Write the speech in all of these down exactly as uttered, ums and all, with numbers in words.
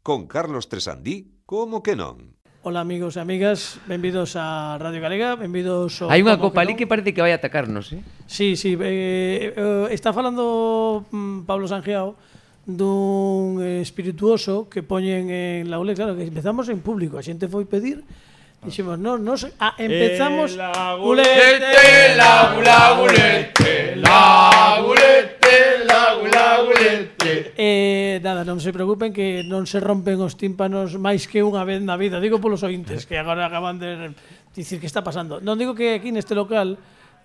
Con Carlos Tresandí, como que non? Hola amigos e amigas, benvidos a Radio Galega, benvidos ao... Hai unha copa ali que parece que vai atacarnos, eh? Sí, sí, eh, eh, está falando mm, Pablo Sangiao dun espirituoso que poñen en la U L E, claro, que empezamos en público, a xente foi pedir, dixemos, no, no, ah, empezamos... El agulete, la agulete, la agulete, la agulete. Eh, nada, non se preocupen que non se rompen os tímpanos máis que unha vez na vida, digo polos ointes que agora acaban de dicir que está pasando. Non digo que aquí neste local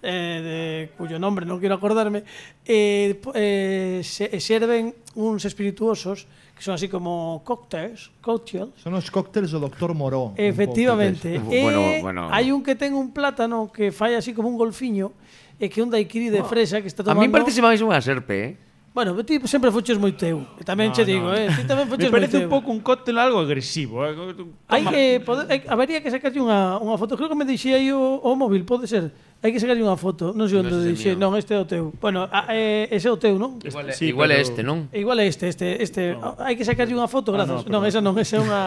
eh, de cuyo nombre non quero acordarme eh, eh, se, serven uns espirituosos que son así como cócteles, cocktails. Son os cócteles do doctor Moró. Efectivamente. Un E bueno, bueno. hai un que ten un plátano que fai así como un golfiño e que un daiquiri de fresa que está A tomando... mí parece máis unha serpe, eh? Bueno, ti sempre fuches moi teu. E tamén No, che digo, no. eh, ti tamén fuches Me moi parece teu. un pouco un cóctel algo agresivo. Eh. Hai que poder, hai, habería que sacarlle unha, unha foto. Creo que me deixei aí o, o móvil, pode ser. Hai que sacarlle unha foto. Non sei onde No, ese deixei. mío. Non, este é o teu. Bueno, a, eh, ese é o teu, non? Igual é, Sí, igual é pero- este, non? Igual é este, este, este. No. Hai que sacarlle unha foto, Ah, grazas. no, non, perdón. esa non, esa é unha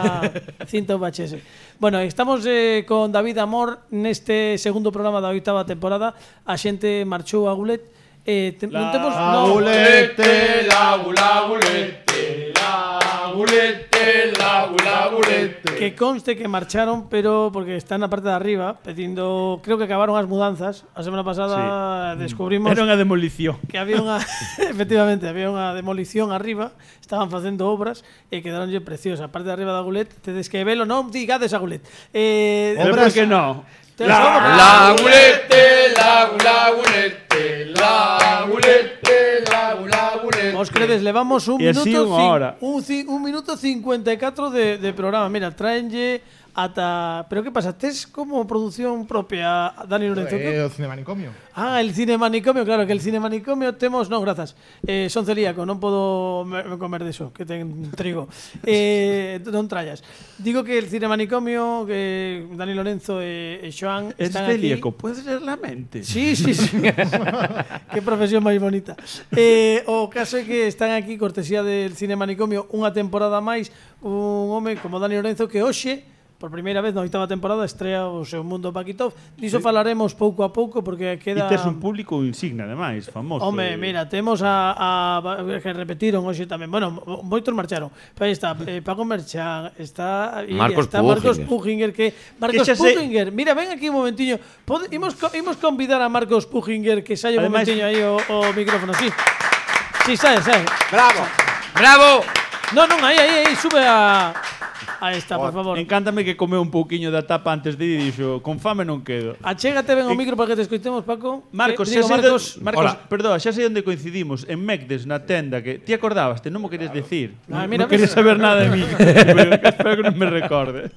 cinta U H S. Bueno, estamos eh, con David Amor neste segundo programa da oitava temporada. A xente marchou a Gulet. Eh, te, non temos La no, agulete, la agulete, la agulete, la agulete. que conste que marcharon, pero porque están na parte de arriba pedindo, creo que acabaron as mudanzas. A semana pasada sí. descubrimos Era unha demolición. que había unha efectivamente, había unha demolición arriba, estaban facendo obras e quedaronlle preciosas. A parte de arriba da Gulet, tedes que velo, non digades a Gulet. Eh, Pero por que non? tedes La, obras. la agulete, la, la agulete, la agulete, la, la agulete. Vos credes, levamos un E así minuto unha cin- hora. un, ci- un minuto cincuenta e catro de, de programa. Mira, traenlle ata... Pero que pasa? Tes como produción propia, Dani Lorenzo? É o Cinemanicomio. Ah, el cine manicomio, claro, que el cine manicomio temos... Non, grazas. Eh, son celíaco, non podo me, me comer deso, que ten trigo. Eh, non trallas. Digo que el cine manicomio, que Dani Lorenzo e, e Xoán Es están celíaco, aquí... puedes leer la mente. Sí, sí, sí. Qué profesión máis bonita. Eh, o caso é que están aquí, cortesía del cine manicomio, unha temporada máis, un home como Dani Lorenzo que hoxe, por primeira vez na oitava temporada, estrea o seu Mundo Paquitov. Diso falaremos pouco a pouco porque E queda... tes un público insignia, ademais, famoso. Home, mira, temos a, a, a que repetiron hoxe tamén. Bueno, mo- moitos marcharon. Pero aí está eh, Paco Merchan, está Iria, Marcos está Marcos Puchinger. Puchinger que Marcos xa sei- Puchinger, mira, ven aquí un momentiño. Pode, imos co- imos convidar a Marcos Puchinger que saia un Ademais- momentiño aí o, o micrófono, sí. Sí, sae, sae. Bravo! Bravo! Non, non, aí, aí, aí, sube a Aí está, por favor. Encántame que comeu un pouquiño da tapa antes de ir e dixo, con fame non quedo. Achégate ben o micro para que te escoitemos, Paco. Marcos, Eh, xa digo, sei Marcos, de, Marcos, perdón, xa sei onde coincidimos, en Mecdes, na tenda, que ti acordabaste, non mo queres decir. Ah, non mira, non queres ves. saber nada de mí. Pero espero que non me recorde.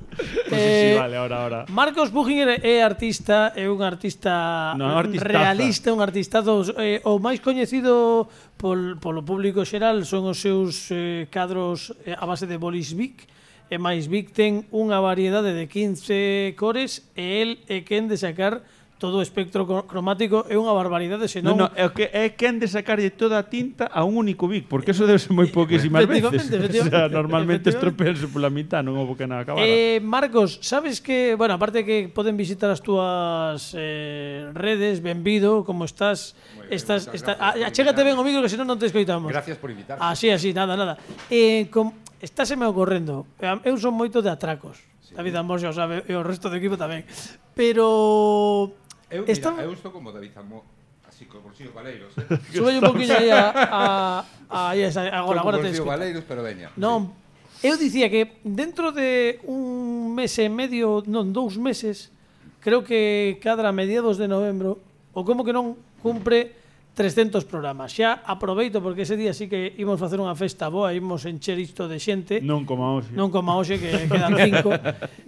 Pues sí, sí, Eh, vale, ahora, ahora. Marcos Puchinger é artista, é un artista No, artistaza. realista, un artistazo, eh, o máis coñecido pol, polo público xeral son os seus eh, cadros eh, a base de bolis Bic, e máis Bic ten unha variedade de quince cores e el é quen de sacar todo o espectro cro- cromático, é unha barbaridade, senón... No, no, é o que é que han de sacarlle toda a tinta a un único Vic, porque eso debe ser moi pouquísimas veces. Efectivamente, O sea, efectivamente, normalmente efectivamente. estropeanse pola mitad, non houve que nada acabar. Eh, Marcos, sabes que, bueno, aparte que poden visitar as túas eh, redes, benvido, como estás, estás, está, ah, achégate ben o micro que senón non te escoitamos. Gracias por invitarme. Así, así, nada, nada. Eh, com, estáseme ocorrendo, eh, eu son moito de atracos, sí. David Amor xa o sabe, e o resto do equipo tamén, pero... Eu, mira, Está- eu estou como David Amor, así con bolsillos valeiros, eh? Sube un poquinho aí a, a, a, aí esa, agora, agora te bolsillos escoito. valeiros, pero veña. Non, eu dicía que dentro de un mes e medio, non, dous meses, creo que cadra a mediados de novembro, ou como que non cumpre trescentos programas. Xa aproveito porque ese día sí que imos facer unha festa boa, imos encher isto de xente. Non como hoxe. Non como hoxe que quedan cinco.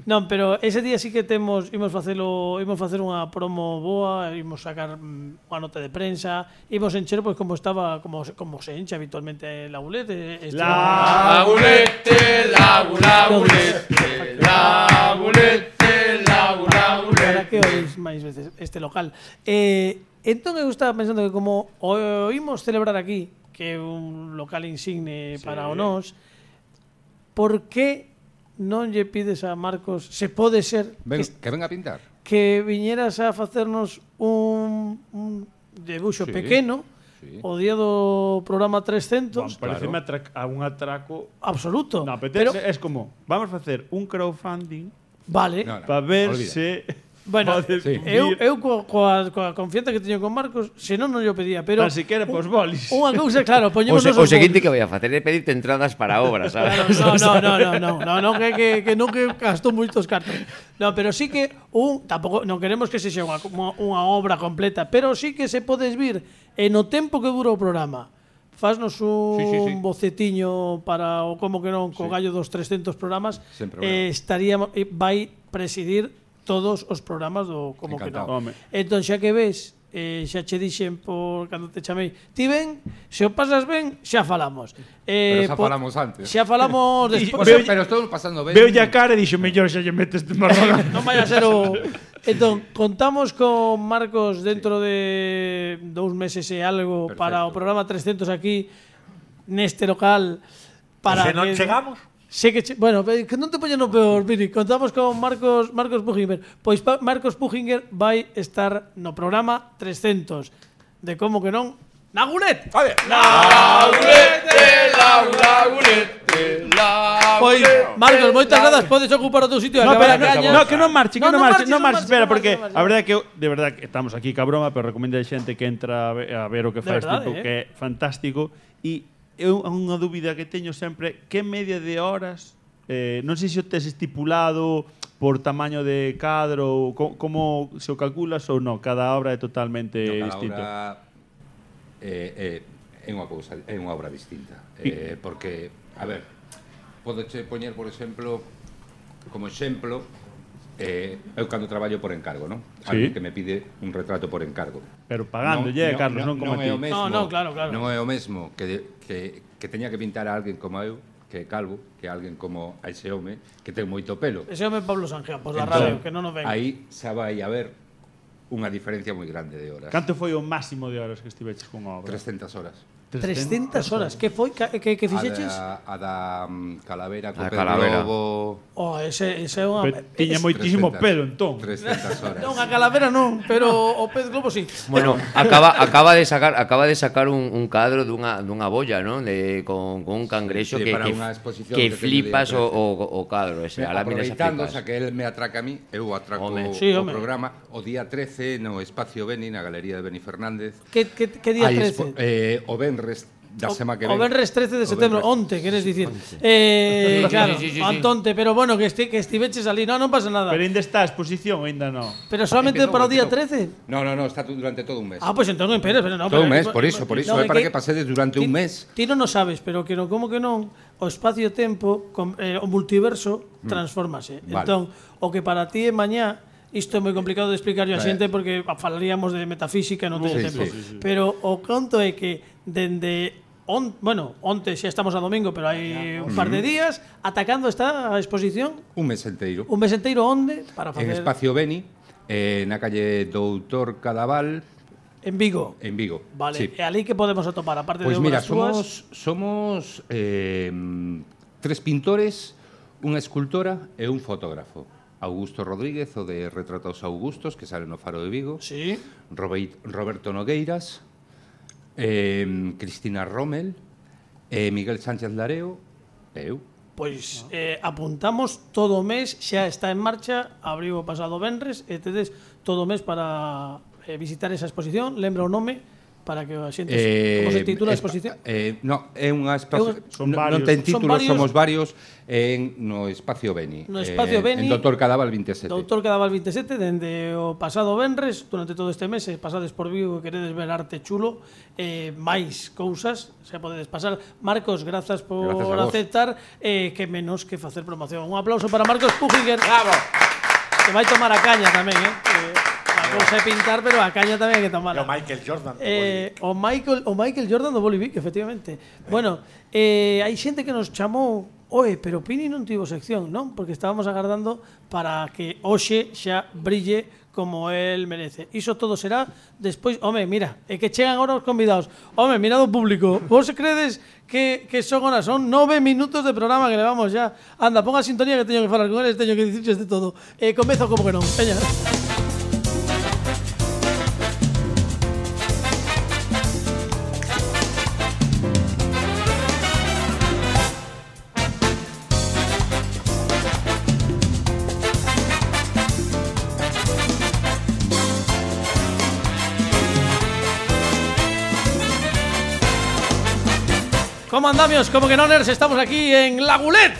Non, pero ese día sí que temos imos facelo, imos facer unha promo boa, imos sacar mm, unha nota de prensa, imos encher pois como estaba como se- como se enche habitualmente la Gulet, eh, este- La agulete, la agulete, la agulete, la agulete. Para que oís máis veces este local. Eh, entón eu estaba pensando que como o imos celebrar aquí, que é un local insigne para o nós, por que non lle pides a Marcos, se pode ser Ven, que, que ven a pintar. que viñeras a facernos un, un debuxo Sí, pequeno sí. o día do programa Bueno, trescentos? pareceme atrac a un atraco. Absoluto. No, pero, pero, es como, vamos a facer un crowdfunding vale. No, no, para ver olvida. se Bueno, podes sí. eu, vir. eu coa, coa, coa confianza que teño con Marcos, senón non yo pedía, pero Tan siquiera pos bolis. unha cousa, claro, O, poñémonos se, o os seguinte bolis. que vai a facer é pedirte entradas para obras, sabes? Claro, no, no, no, no, no, no, que, que, que non que gastou moitos cartos. No, pero sí que un, tampouco non queremos que se xa unha, unha obra completa, pero sí que se podes vir e no tempo que dura o programa. Fasnos un Sí, sí, sí. bocetiño para o como que non co Sí. gallo dos trescentos programas. Sen problema. Eh, estaríamos eh, vai presidir todos os programas do como que Encantado. non. Home. Entón xa que ves, eh, xa che dixen por cando te chamei, ti ven, se o pasas ben, xa falamos. Eh, Pero xa po- falamos antes. Xa falamos despois. Veo- Pero estou pasando ben. Veo ya cara e dixo, mellor xa lle metes de marrón. Non vaya a ser o... Entón, contamos con Marcos dentro de dous meses e algo Perfecto. para o programa trescentos aquí neste local para Se non que- chegamos, Sé que che, bueno, que non te poñen no peor, Vini. Contamos con Marcos Marcos Pujinger. Pois pa, Marcos Pujinger vai estar no programa trescentos de como que non Nagulet. vale. Lagunete, lagunete, Pois lagunete. Marcos, moitas grazas, podes ocupar o teu sitio e No, acabar pero, a no, caña. no, que non marche, que No, non, non marche, marches, non non marche, marches, espera, non porque marches, non a verdade é que eu, de verdade que estamos aquí ca broma, pero recomendo a xente que entra a ver, a ver o que De faz verdade, tipo eh. que é fantástico e eu unha dúbida que teño sempre, que media de horas, eh, non sei se o tes estipulado por tamaño de cadro, co, como se o calculas ou non, cada obra é totalmente No, cada distinto. obra é, é, é unha cousa, é unha obra distinta. Eh, porque, a ver, podeche poñer, por exemplo, como exemplo, eh, eu cando traballo por encargo, non? Sí. Alguén que me pide un retrato por encargo. Pero pagándolle, Non- Carlos, non, non, como non ti. é o mesmo, No, no, claro, claro. Non é o mesmo que, de, que, que teña que pintar a alguén como eu, que é calvo, que alguén como a ese home que ten moito pelo. Ese home Pablo Sanjea, pois da Entón, radio, que non nos ven. Aí xa vai a haber unha diferencia moi grande de horas. Canto foi o máximo de horas que estiveches con a obra? trescentas horas. trescentas horas. Que foi? Que, que, que fixeches? A da, a da mm, calavera co A pelo calavera. lobo. Oh, ese, ese é unha... Pero tiña es- moitísimo trescentas pelo, entón. trescentas horas. Non, a calavera non, pero o pez globo sí. Bueno, acaba acaba de sacar acaba de sacar un, un cadro dunha dunha bolla, ¿no? De con, con un cangrexo Sí, que para que, unha exposición que que teño flipas día o, trece. o, o cadro ese, a láminas Aproveitando, flipas. xa que el me atraca a mí, eu atraco Home. o, Sí, o home. programa o día trece no Espacio Beni, na Galería de Beni Fernández. Que, que, que día Hai trece? expo- eh, o Benres da sema que O ven. Benres trece de O setembro, Benres. onte, queres dicir. Eh, claro, Sí, sí, sí, sí. Antonte, pero bueno, que, esti, que estiveches ali, no, non pasa nada. Pero ainda está a exposición, ainda non. Pero solamente Empezou, para o día empezou. trece? No, no, no, está tu- durante todo un mes. Ah, pois pues entón, espera, espera, no. Todo pero- un mes, por iso, por iso, No, é para que- que pasedes durante ti- un mes. Ti non o sabes, pero que non, como que non, o espacio-tempo, com- eh, o multiverso, transformase. Mm. Vale. Entón, o que para ti é mañá, isto é moi complicado de explicar a Eh. xente porque falaríamos de metafísica e non teño Sí, tempo. sí, sí, Pero o conto é que dende on, bueno, onte xa estamos a domingo, pero hai un par de días, atacando esta exposición, Un mes enteiro. un mes enteiro onde para En facer Espacio Beni, eh, na calle Doutor Cadaval, en Vigo. en Vigo. Vale, Sí. e ali que podemos atopar aparte Pois de mira, obras túas? somos, somos eh, tres pintores, unha escultora e un fotógrafo. Augusto Rodríguez, o de Retratos Augustos, que sale no Faro de Vigo. Sí. Robeit- Roberto Nogueiras, eh, Cristina Rommel, eh, Miguel Sánchez Lareo e eu. Pois eh, apuntamos todo o mes, xa está en marcha, abriu o pasado venres, e tedes todo o mes para eh, visitar esa exposición, lembra o nome para que a xente como se titula a espa- exposición? Eh, no, é unha É espacio, un- Son non, varios. non ten Son títulos, varios. somos varios en no Espacio Beni. No Espacio eh, Beni, En Doutor Cadaval veintisiete. Doutor Cadaval veintisiete, dende o pasado venres, durante todo este mes, se pasades por Vigo e queredes ver arte chulo, eh, máis cousas, se podedes pasar. Marcos, grazas por Grazas a vos. aceptar, eh, que menos que facer promoción. Un aplauso para Marcos Pujinger. Bravo. Que vai tomar a caña tamén, eh? Que a cousa é pintar, pero a caña tamén hai que E tomarla. o Michael Jordan. Eh, o Michael o Michael Jordan do Bolivic, efectivamente. Bueno, eh, hai xente que nos chamou Oe, pero Pini non tivo sección, non? Porque estábamos agardando para que hoxe xa brille como el merece. Iso todo será despois... Home, mira, é que chegan agora os convidados. Home, mirado o público. Vos credes que, que son horas? Son nove minutos de programa que levamos ya. Anda, ponga a sintonía que teño que falar con eles, teño que dicirles de todo. Eh, comezo como que non. Veña. ¿Cómo andamios? Como que no, nerds, estamos aquí en La Gulet.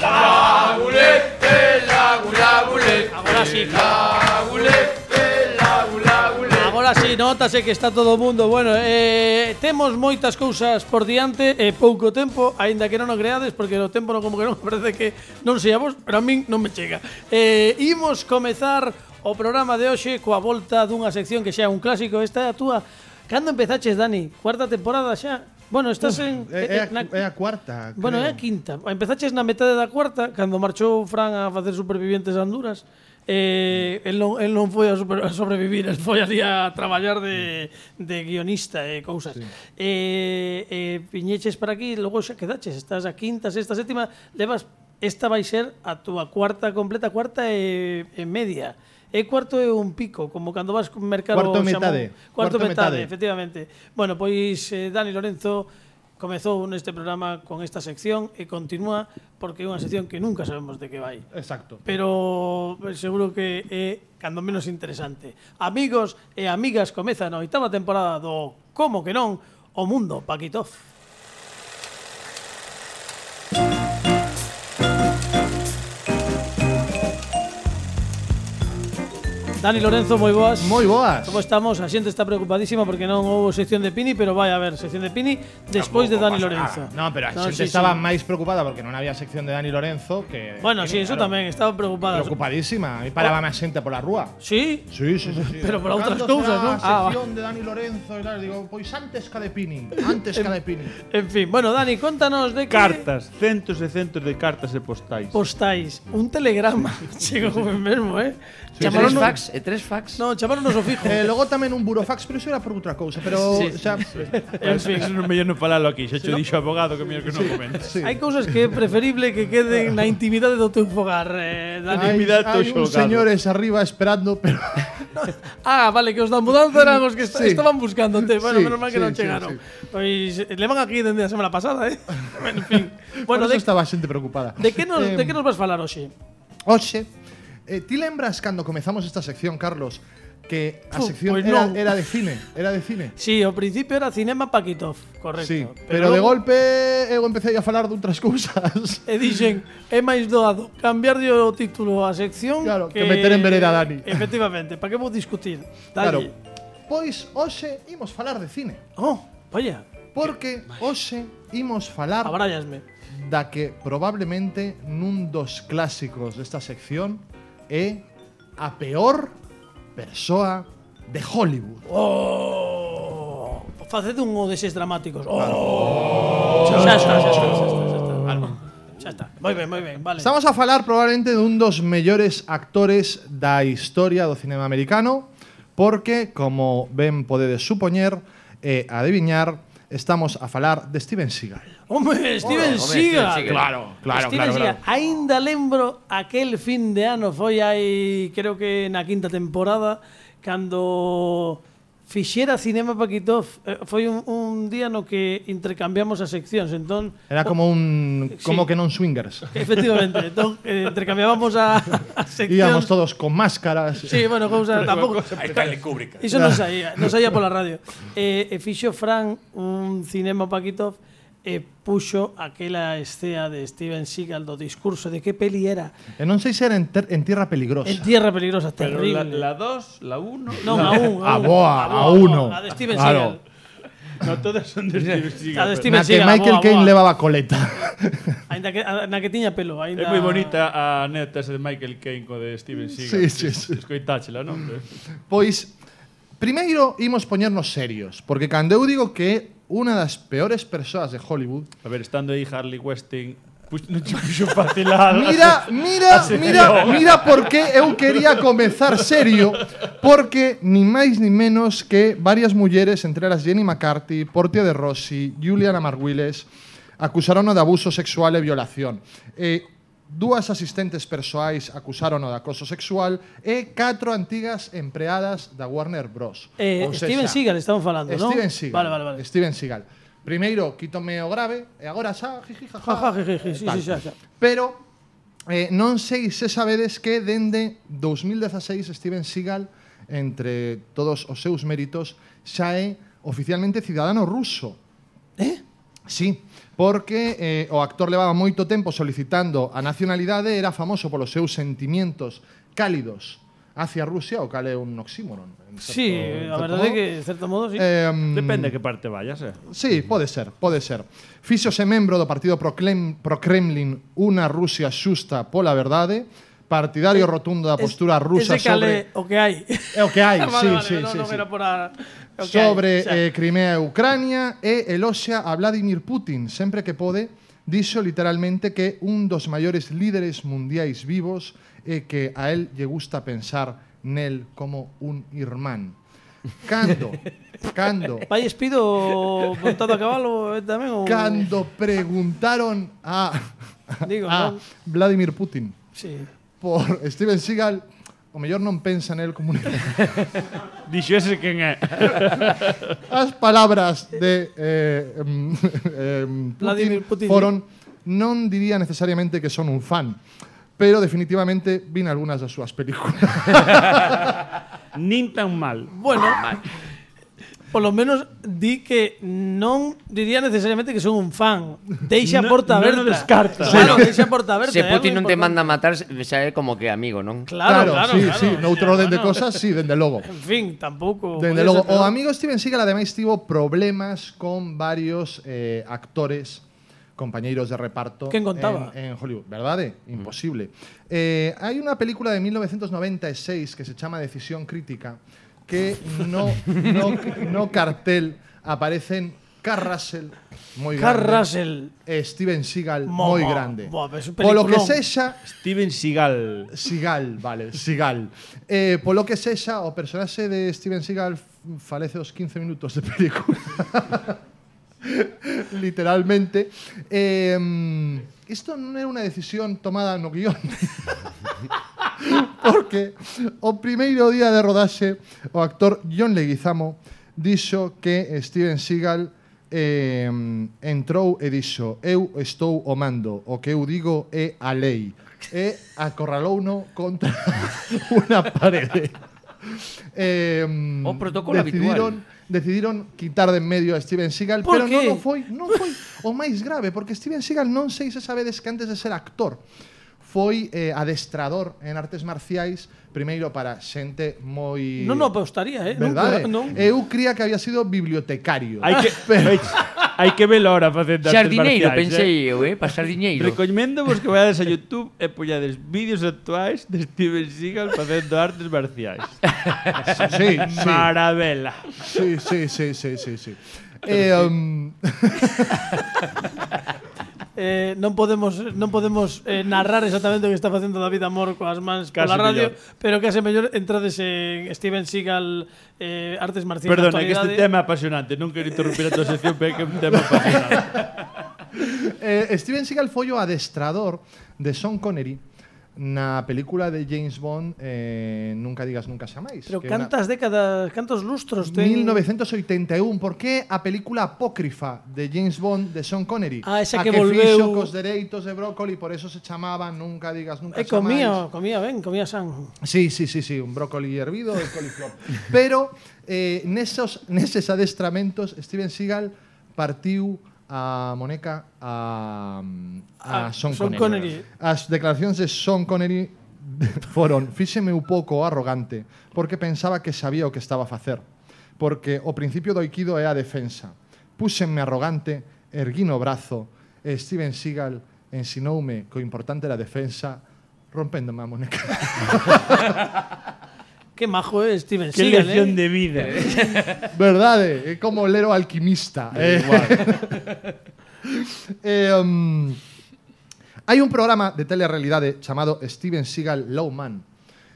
La Gulete, la Gula Gulete. Agora sí. La Gulete, la Gula Gulete. Agora sí, notase que está todo o mundo. Bueno, eh, temos moitas cousas por diante e eh, pouco tempo, aínda que non o creades, porque o tempo non como que non, parece que non sei a vos, pero a min non me chega. Eh, imos comezar o programa de hoxe coa volta dunha sección que xa é un clásico. Esta é a túa. Cando empezaches, Dani? Cuarta temporada xa? Bueno, estás Uf, en... É, é, a, na, é a cuarta, Bueno, creo. é a quinta. Empezaches na metade da cuarta, cando marchou Fran a facer Supervivientes a Honduras. Eh, el, non, el non foi a, super, a sobrevivir, el foi ali a traballar de, de guionista e cousas. Sí. Eh, eh, piñeches para aquí, logo xa quedaches. Estás a quinta, sexta, sétima. Levas, esta vai ser a túa cuarta completa, cuarta e, e media. E cuarto é un pico, como cando vas a mercar o Cuarto xamón. metade. Cuarto, Cuarto metade, metade. efectivamente. Bueno, pois eh, Dani Lorenzo comezou neste programa con esta sección e continúa porque é unha sección que nunca sabemos de que vai. Exacto. Pero seguro que é cando menos interesante. Amigos e amigas, comeza na oitava temporada do Como que non, o mundo Paquitov. Dani Lorenzo, moi boas. Moi boas. Como estamos? A xente está preocupadísima porque non houve sección de Pini, pero vai a haber sección de Pini despois de Dani Lorenzo. No, pero a No, xente sí, estaba sí. máis preocupada porque non había sección de Dani Lorenzo que... Bueno, que, sí, eso claro, tamén, estaba preocupada. Preocupadísima. E parábame a xente pola rúa. Sí? Sí, sí, sí, sí. Pero por outras Cando cousas, será non? a Ah, va. sección de Dani Lorenzo e tal, digo, pois antes ca de Pini, antes ca de Pini. En fin, bueno, Dani, contanos de que Cartas, centos e centos de cartas e postais. postais un telegrama. Chegou mesmo, eh? E tres Chamaron fax, e tres fax. No, chamaronos o fijo. Eh, logo tamén un burofax, pero iso era por outra cousa, pero Sí, xa En fin, Eso non mellor non falalo aquí, xa cho dixo o abogado que mellor que non comentes. sí. hai cousas que é preferible que queden na intimidade do teu fogar, eh, Dani. Hai, intimidade hai do uns xogado. señores arriba esperando, pero Ah, vale, que os da mudanza eran os que est Sí. estaban buscándote. Bueno, Sí, menos mal que sí, non sí, chegaron. sí. Pois eh, levan aquí dende a semana pasada, eh? En fin. bueno, Bueno, por de, eso estaba a xente preocupada. de que nos Eh, de que nos vas falar hoxe? Oxe, eh, ti lembras cando comezamos esta sección, Carlos, que a Fu, sección pois era, non. era de cine, era de cine? Sí, ao principio era Cinema Paquitov, correcto. Sí, pero, de logo- golpe eu empecé a falar de outras cousas. E dixen, é máis doado cambiarlle o título á sección Claro, que meter en vereda a Dani. Efectivamente, para que vou discutir? Claro. Dalle. Pois hoxe imos falar de cine, Oh, vaya, porque hoxe imos falar abrállasme. da que probablemente nun dos clásicos desta sección é a peor persoa de Hollywood. Oh, faced un o deses dramáticos. Oh, xa está, xa está, xa está, xa está. Xa está. Moi ben, moi ben, vale. Estamos a falar probablemente dun dos mellores actores da historia do cinema americano, porque, como ben podedes supoñer e adiviñar, estamos a falar de Steven Seagal. Home, Steven Home, Seagal. Steven Seagal. Claro, claro, Steven claro, Seagal. claro. Aínda lembro aquel fin de ano, foi hai, creo que na quinta temporada, cando fixera Cinema Paquitov, eh, foi un, un día no que intercambiamos as seccións, entón Era como un Sí. como que non swingers. efectivamente, entón eh, intercambiábamos a, a seccións. Íamos todos con máscaras. Sí, bueno, cousa tampouco. Ahí está el Kubrick. Iso non saía, non saía pola radio. E, e fixo Fran un Cinema Paquitov e puxo aquela escena de Steven Seagal do discurso de que peli era. E non sei se era en, ter, en Tierra Peligrosa. En Tierra Peligrosa, Pero terrible. la dos, la uno... Non, a un, A un. boa, a uno. A de Steven Claro. Seagal. No, todas son de Steven A de Seagal. Steven Na que Seagal, Michael boa, Caine boa. levaba coleta. Ainda que, a- na que tiña pelo. É Ainda... moi bonita a neta esa de Michael Caine co de Steven Seagal. Sí, sí, sí. Escoitáchela, non? Pois, primeiro imos poñernos serios, porque cando eu digo que é unha das peores persoas de Hollywood, A ver, estando aí Harley Weinstein Pues non che puxo facilado. Mira, mira, mira, mira por que eu quería comezar serio, porque ni máis ni menos que varias mulleres, entre elas Jenny McCarthy, Portia de Rossi, Juliana Marguiles, acusarono de abuso sexual e violación. E dúas asistentes persoais acusarono de acoso sexual e catro antigas empreadas da Warner Bros. Eh, Ou Steven sexa, Seagal estamos falando, non? Steven Seagal. Vale, vale, vale. Steven Seagal. Primeiro, quítome o grave, e agora xa, jiji, jaja. Jaja, jiji, sí, tal. sí, xa, xa. Pero eh, non sei se sabedes que dende dos mil dieciséis Steven Seagal, entre todos os seus méritos, xa é oficialmente cidadano ruso. Eh? Sí, porque eh, o actor levaba moito tempo solicitando a nacionalidade, era famoso polos seus sentimientos cálidos hacia Rusia, o cal é un oxímoron. en certo- Sí, en a certo verdade é modo. que, de certo modo, sí. Eh, Depende de que parte vayas, eh. Sí, pode ser, pode ser. Fíxose membro do partido pro-Krem- pro-Kremlin Una Rusia xusta pola verdade, partidario rotundo da postura rusa Ese cale sobre... o que hai. É o que hai, Vale, sí, vale, sí, no, sí, non sí. era por a, o que sobre hai, xa. eh, Crimea e Ucrania e eloxia a Vladimir Putin sempre que pode, dixo literalmente que un dos maiores líderes mundiais vivos e que a él lle gusta pensar nel como un irmán. Cando, cando, Vai espido montado a cabalo eh, tamén ou cando preguntaron a, Digo, a non? Vladimir Putin Sí. por Steven Seagal, o mellor non pensa nel como un irmán. Dixo ese quen é. As palabras de eh, em, em, Vladimir Putin, foron, non diría necesariamente que son un fan, pero definitivamente vin algunhas das súas películas. Nin tan mal. Bueno, polo menos di que non diría necesariamente que son un fan. Deixa a No- porta non aberta. o descarta. Claro, deixa a porta aberta. Se é Putin algo non te importante. manda a matar, xa é como que amigo, non? Claro, claro, sí, claro. sí, noutro orden de Bueno, cosas, sí, dende logo. En fin, tampouco. Dende podía logo, ser o peor. amigo Steven Seagal ademais tivo problemas con varios eh, actores compañeiros de reparto Quen contaba? en, en Hollywood, verdade? Imposible. Eh, hai unha película de mil novecientos noventa e seis que se chama Decisión Crítica que no, no, no cartel aparecen Carl Russell moi Carl grande Russell. e Steven Seagal Mo, moi mo. grande. Buah, pero es un Polo que peliculón. sexa, Steven Seagal. Seagal, vale, Seagal. Eh, polo que sexa, o personaxe de Steven Seagal f- falece os quince minutos de película. Literalmente. Eh, isto non era unha decisión tomada no guión. Porque o primeiro día de rodaxe, o actor John Leguizamo dixo que Steven Seagal eh, entrou e dixo: eu estou o mando, o que eu digo é a lei. E acorralouno contra unha parede. Eh, O protocolo decidiron, decidiron quitar de en medio a Steven Seagal, Por pero qué? non o foi, non foi o máis grave, porque Steven Seagal non sei se sabedes que antes de ser actor foi eh, adestrador en artes marciais, primeiro para xente moi... Non o apostaría, eh? Verdade? Non, non. Eu cría que había sido bibliotecario. Hai que hai que ver hora facendo artes Xardineiro, marciais, pensei eh. eu, eh? Para xardineiro. Recomendo vos que vayades a YouTube e poñades vídeos actuais de Steven Seagal facendo artes marciais. Sí, sí. Maravela. Sí, sí, sí, sí, sí, sí. Eh, um, Eh, non podemos non podemos eh, narrar exactamente o que está facendo David Amor coas mans Case pola radio, mellor. pero case mellor entrades en Steven Seagal eh, artes marciais Perdona, na que este actualidade. tema é apasionante. Non quero interrumpir a tua sección, pero é que é un tema apasionante. eh, Steven Seagal foi o adestrador de Sean Connery na película de James Bond eh, Nunca digas nunca xa máis. Pero que é unha- cantas décadas, cantos lustros ten? mil novecientos oitenta e un, por que a película apócrifa de James Bond de Sean Connery? Ah, esa a que que volveu- fixo cos dereitos de brócoli, por eso se chamaba Nunca digas nunca Eh, xa máis. comía, comía ben, comía san. Sí, sí, sí, sí, un brócoli hervido e coliflor. Pero eh, nesos, neses adestramentos Steven Seagal partiu a Moneca a, a A Sean, Sean Connery. Connery. As declaracións de Sean Connery foron: fíxeme un pouco arrogante porque pensaba que sabía o que estaba a facer, porque o principio do aikido é a defensa. Púxenme arrogante, erguín o brazo e Steven Seagal ensinoume que o importante era a defensa, rompéndome a Moneca. Que majo é Steven Que Seagal, lección eh? de vida. Verdade, é como ler o alquimista. Eh, Igual. eh, um, Hai un programa de telerrealidade chamado Steven Seagal Low Man,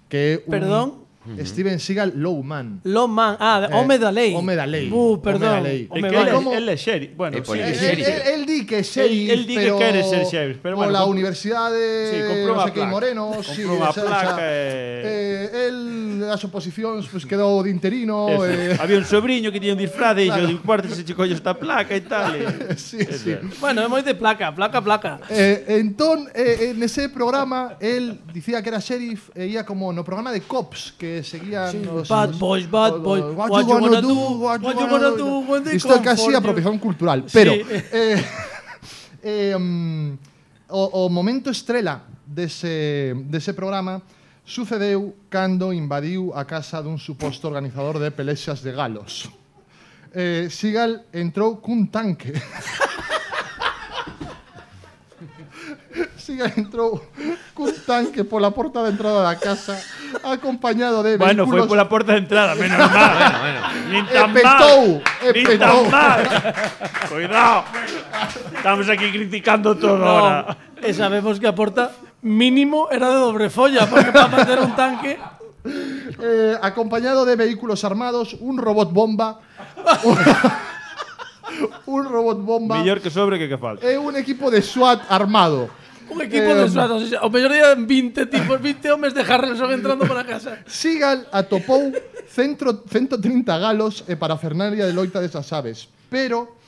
que é un Perdón? Steven Seagal Low Man. Lo man, ah, Eh, home da lei. home da lei. Uh, perdón. Home da lei. É Home, que vale. ele, Como- ele é xeri. Bueno, É por sí, el Él, sí, sheriff. él, él di que é sheriff, Él- él di que pero quere ser sheriff, pero bueno, pola compro- universidade Sí, comprou non unha sei que placa. Moreno, Comprou sí, unha o sea, placa xa, e- eh, el as oposicións pues, quedou de interino Eso. eh, Había un sobrinho que tiña un disfraz e Claro. dixo, importa se che collo esta placa e tal. E... sí, sí. Bueno, é moi de placa, placa, placa. Eh, entón, eh, en ese programa, él dicía que era sheriff e ia como no programa de cops que seguían Sí, os, bad os- boys, bad os- boys, what, what you you gonna gonna do, do, what what you you gonna gonna do when they Isto é come casi for you. apropiación cultural, pero Sí. eh, eh, um, o, o momento estrela dese, dese programa sucedeu cando invadiu a casa dun suposto organizador de pelexas de galos. Eh, Seagal entrou cun tanque. Seagal entrou cun tanque pola porta de entrada da casa acompañado de Bueno, foi vehículos. pola porta de entrada, menos mal. Bueno, bueno. Nin E tan petou, mal. e Nin petou. tan mal. Cuidado. Estamos aquí criticando todo No, ahora. e sabemos que a porta mínimo era de dobre folla, porque para meter un tanque... Eh, acompañado de vehículos armados, un robot bomba, un, un robot bomba Mellor que sobre que que falta. e un equipo de SWAT armado. Un equipo Eh, de SWAT, o sea, o mellor día vinte tipos, vinte homes de Harrelson entrando para casa. Seagal atopou centro, ciento trinta galos e parafernalia de loita desas aves, pero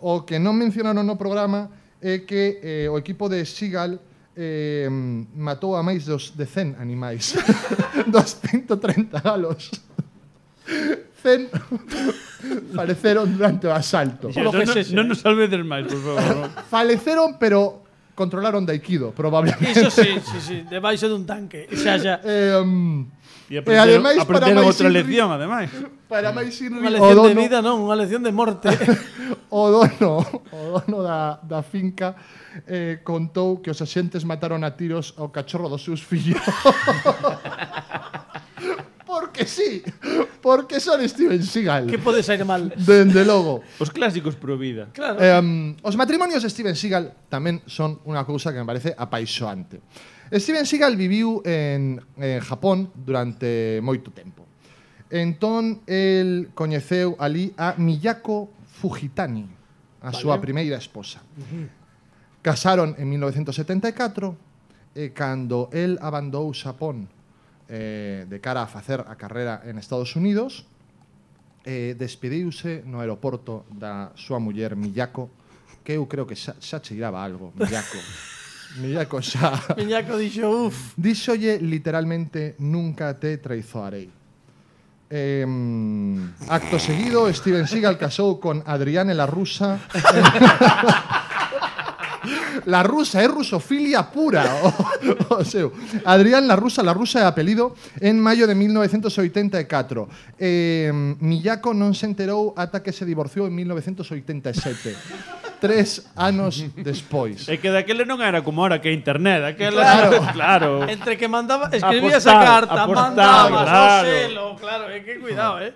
o que non mencionaron no programa é que eh, o equipo de Seagal eh, matou a máis dos de cen animais. Dos ciento trinta galos. cen faleceron durante o asalto. Por lo que non, sexa. non nos salvedes máis, por favor. Faleceron, pero controlaron de Aikido, probablemente. Iso sí, sí, sí, debaixo dun tanque. Xa, xa. Eh, um, E E aprenderon, ademais, para aprenderon máis outra inri- lección, ademais. para máis ir Unha o lección de dono, vida, non, unha lección de morte. o dono, o dono da, da finca eh, contou que os axentes mataron a tiros ao cachorro dos seus fillos. Porque sí, porque son Steven Seagal. que pode sair mal? Dende logo. Os clásicos pro vida. Claro. Eh, um, os matrimonios de Steven Seagal tamén son unha cousa que me parece apaixoante. Steven Seagal viviu en, en Japón durante moito tempo. Entón, el coñeceu ali a Miyako Fujitani, a vale. súa primeira esposa. Uh-huh. Casaron en mil novecientos setenta e catro e cando el abandou Xapón eh, de cara a facer a carrera en Estados Unidos, eh, despediuse no aeroporto da súa muller Miyako, que eu creo que xa, xa cheiraba algo, Miyako. Miyako xa... Miñaco dixo, uff. Díxolle literalmente nunca te traizoarei. Eh, acto seguido, Steven Seagal casou con Adriane la Rusa. La Rusa, é rusofilia pura o, o seu. Adrián la Rusa, la Rusa é apelido, en maio de mil novecientos oitenta e catro. Eh, Miyako non se enterou ata que se divorciou en mil novecientos oitenta e sete. Tres anos despois. É que daquele non era como ahora que é internet, aquela Claro. claro. Entre que mandaba, escribías Apostar, a carta, apostar, mandabas claro. o selo, claro, é que cuidado, eh.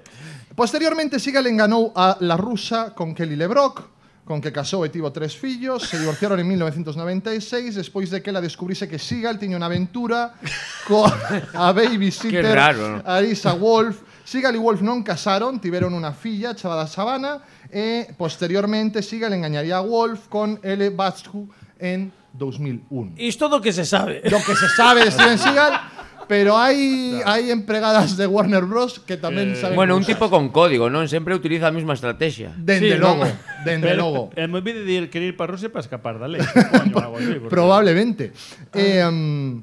Posteriormente, Seagal enganou a la Rusa con Kelly LeBrock, con que casou e tivo tres fillos. Se divorciaron en mil novecientos noventa e seis, despois de que ela descubrise que Seagal tiña unha aventura con a babysitter Qué raro. Arisa Wolf. Seagal e Wolf non casaron, tiveron unha filla chamada Savannah, e posteriormente Seagal engañaría a Wolf con Elle Bascu en dos mil un. Isto do que se sabe. Lo que se sabe de Steven Seagal, pero hai hai empregadas de Warner Bros que tamén Eh, saben Bueno, un cousas. tipo con código, non? Sempre utiliza a mesma estrategia. Dende Sí, logo, non. dende logo. É moi de ir querer ir para Rusia para escapar da lei. Coño, algo así, porque- Probablemente. Eh, um,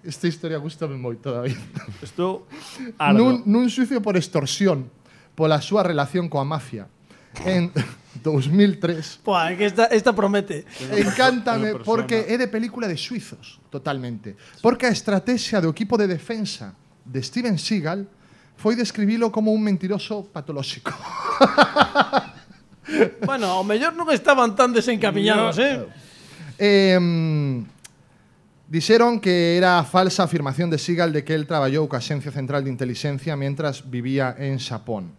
esta historia gustame moito, David. Estou Nun, ardo. nun xuicio por extorsión pola súa relación coa mafia en dos mil tres. Pua, é que esta, esta promete. Encántame Unha persona. porque é de película de suizos, totalmente. Porque a estrategia do equipo de defensa de Steven Seagal foi describilo como un mentiroso patolóxico. Bueno, ao mellor non estaban tan desencamiñados, eh. Eh, Dixeron que era falsa afirmación de Seagal de que el traballou coa Axencia Central de Intelixencia mentras vivía en Xapón.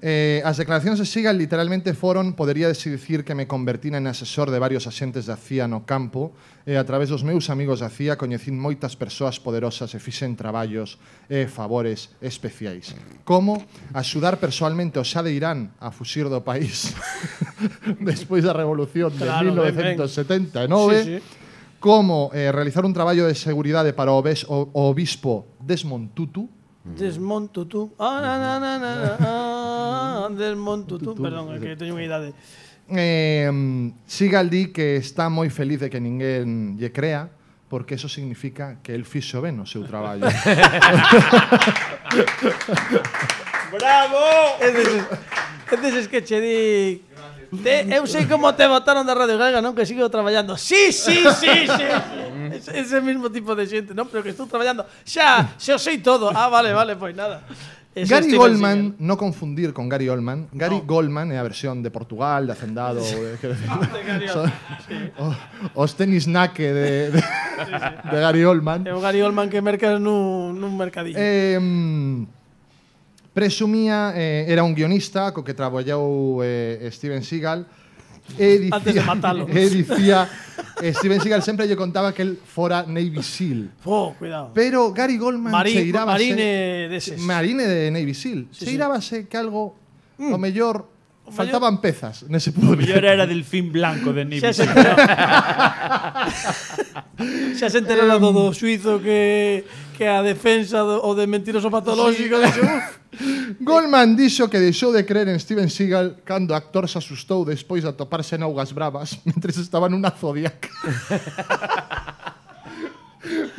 Eh, as declaracións de Seagal literalmente foron, podería dicir que me convertín en asesor de varios axentes da C I A no campo e a través dos meus amigos da C I A coñecín moitas persoas poderosas e fixen traballos e favores especiais, como axudar persoalmente ao Xa de Irán a fuxir do país despois da revolución de Claro, mil novecentos setenta e nove, Sí, sí. como eh, realizar un traballo de seguridade para o, obes, o, o obispo Desmond Tutu. Desmonto tú. Ah, na, na, na, na, ah, desmonto tú. Perdón, é que teño unha idade. Eh, Seagal di que está moi feliz de que ninguén lle crea, porque eso significa que el fixo ben o seu traballo. Bravo! É deses, é deses que che di... Te, eu sei como te botaron da Radio Galega, non? Que sigo traballando. Sí, sí, sí, sí. Ese, ese mismo tipo de xente, non? Pero que estou traballando. Xa, xa o sei todo. Ah, vale, vale, pois nada. Ese Gary Steven Goldman, Seagal. no confundir con Gary Oldman. Gary no. Goldman é a versión de Portugal, de Hacendado, de, de, Gary son, sí. o, os tenis naque de, de, sí, sí. de Gary Oldman. É o Gary Oldman que mercas nun, nun mercadillo. Eh, presumía, eh, era un guionista co que traballou eh, Steven Seagal e dicía, Antes de matalo. E dicía eh, Steven Seagal sempre lle contaba que el fora Navy SEAL. Oh, cuidado. Pero Gary Goldman Mari- se irábase, marine deses. Marine de Navy SEAL. Sí, se sí. irábase que algo mm. o mellor O faltaban pezas nese O puzzle. mellor era del fin blanco de Navy Xa se Seal. enterou. Xa se enterou do, do suizo que que a defensa do, o de mentiroso patolóxico sí. Dixo, Goldman dixo que deixou de creer en Steven Seagal cando o actor se asustou despois de atoparse en augas bravas mentres estaba nunha Zodiac.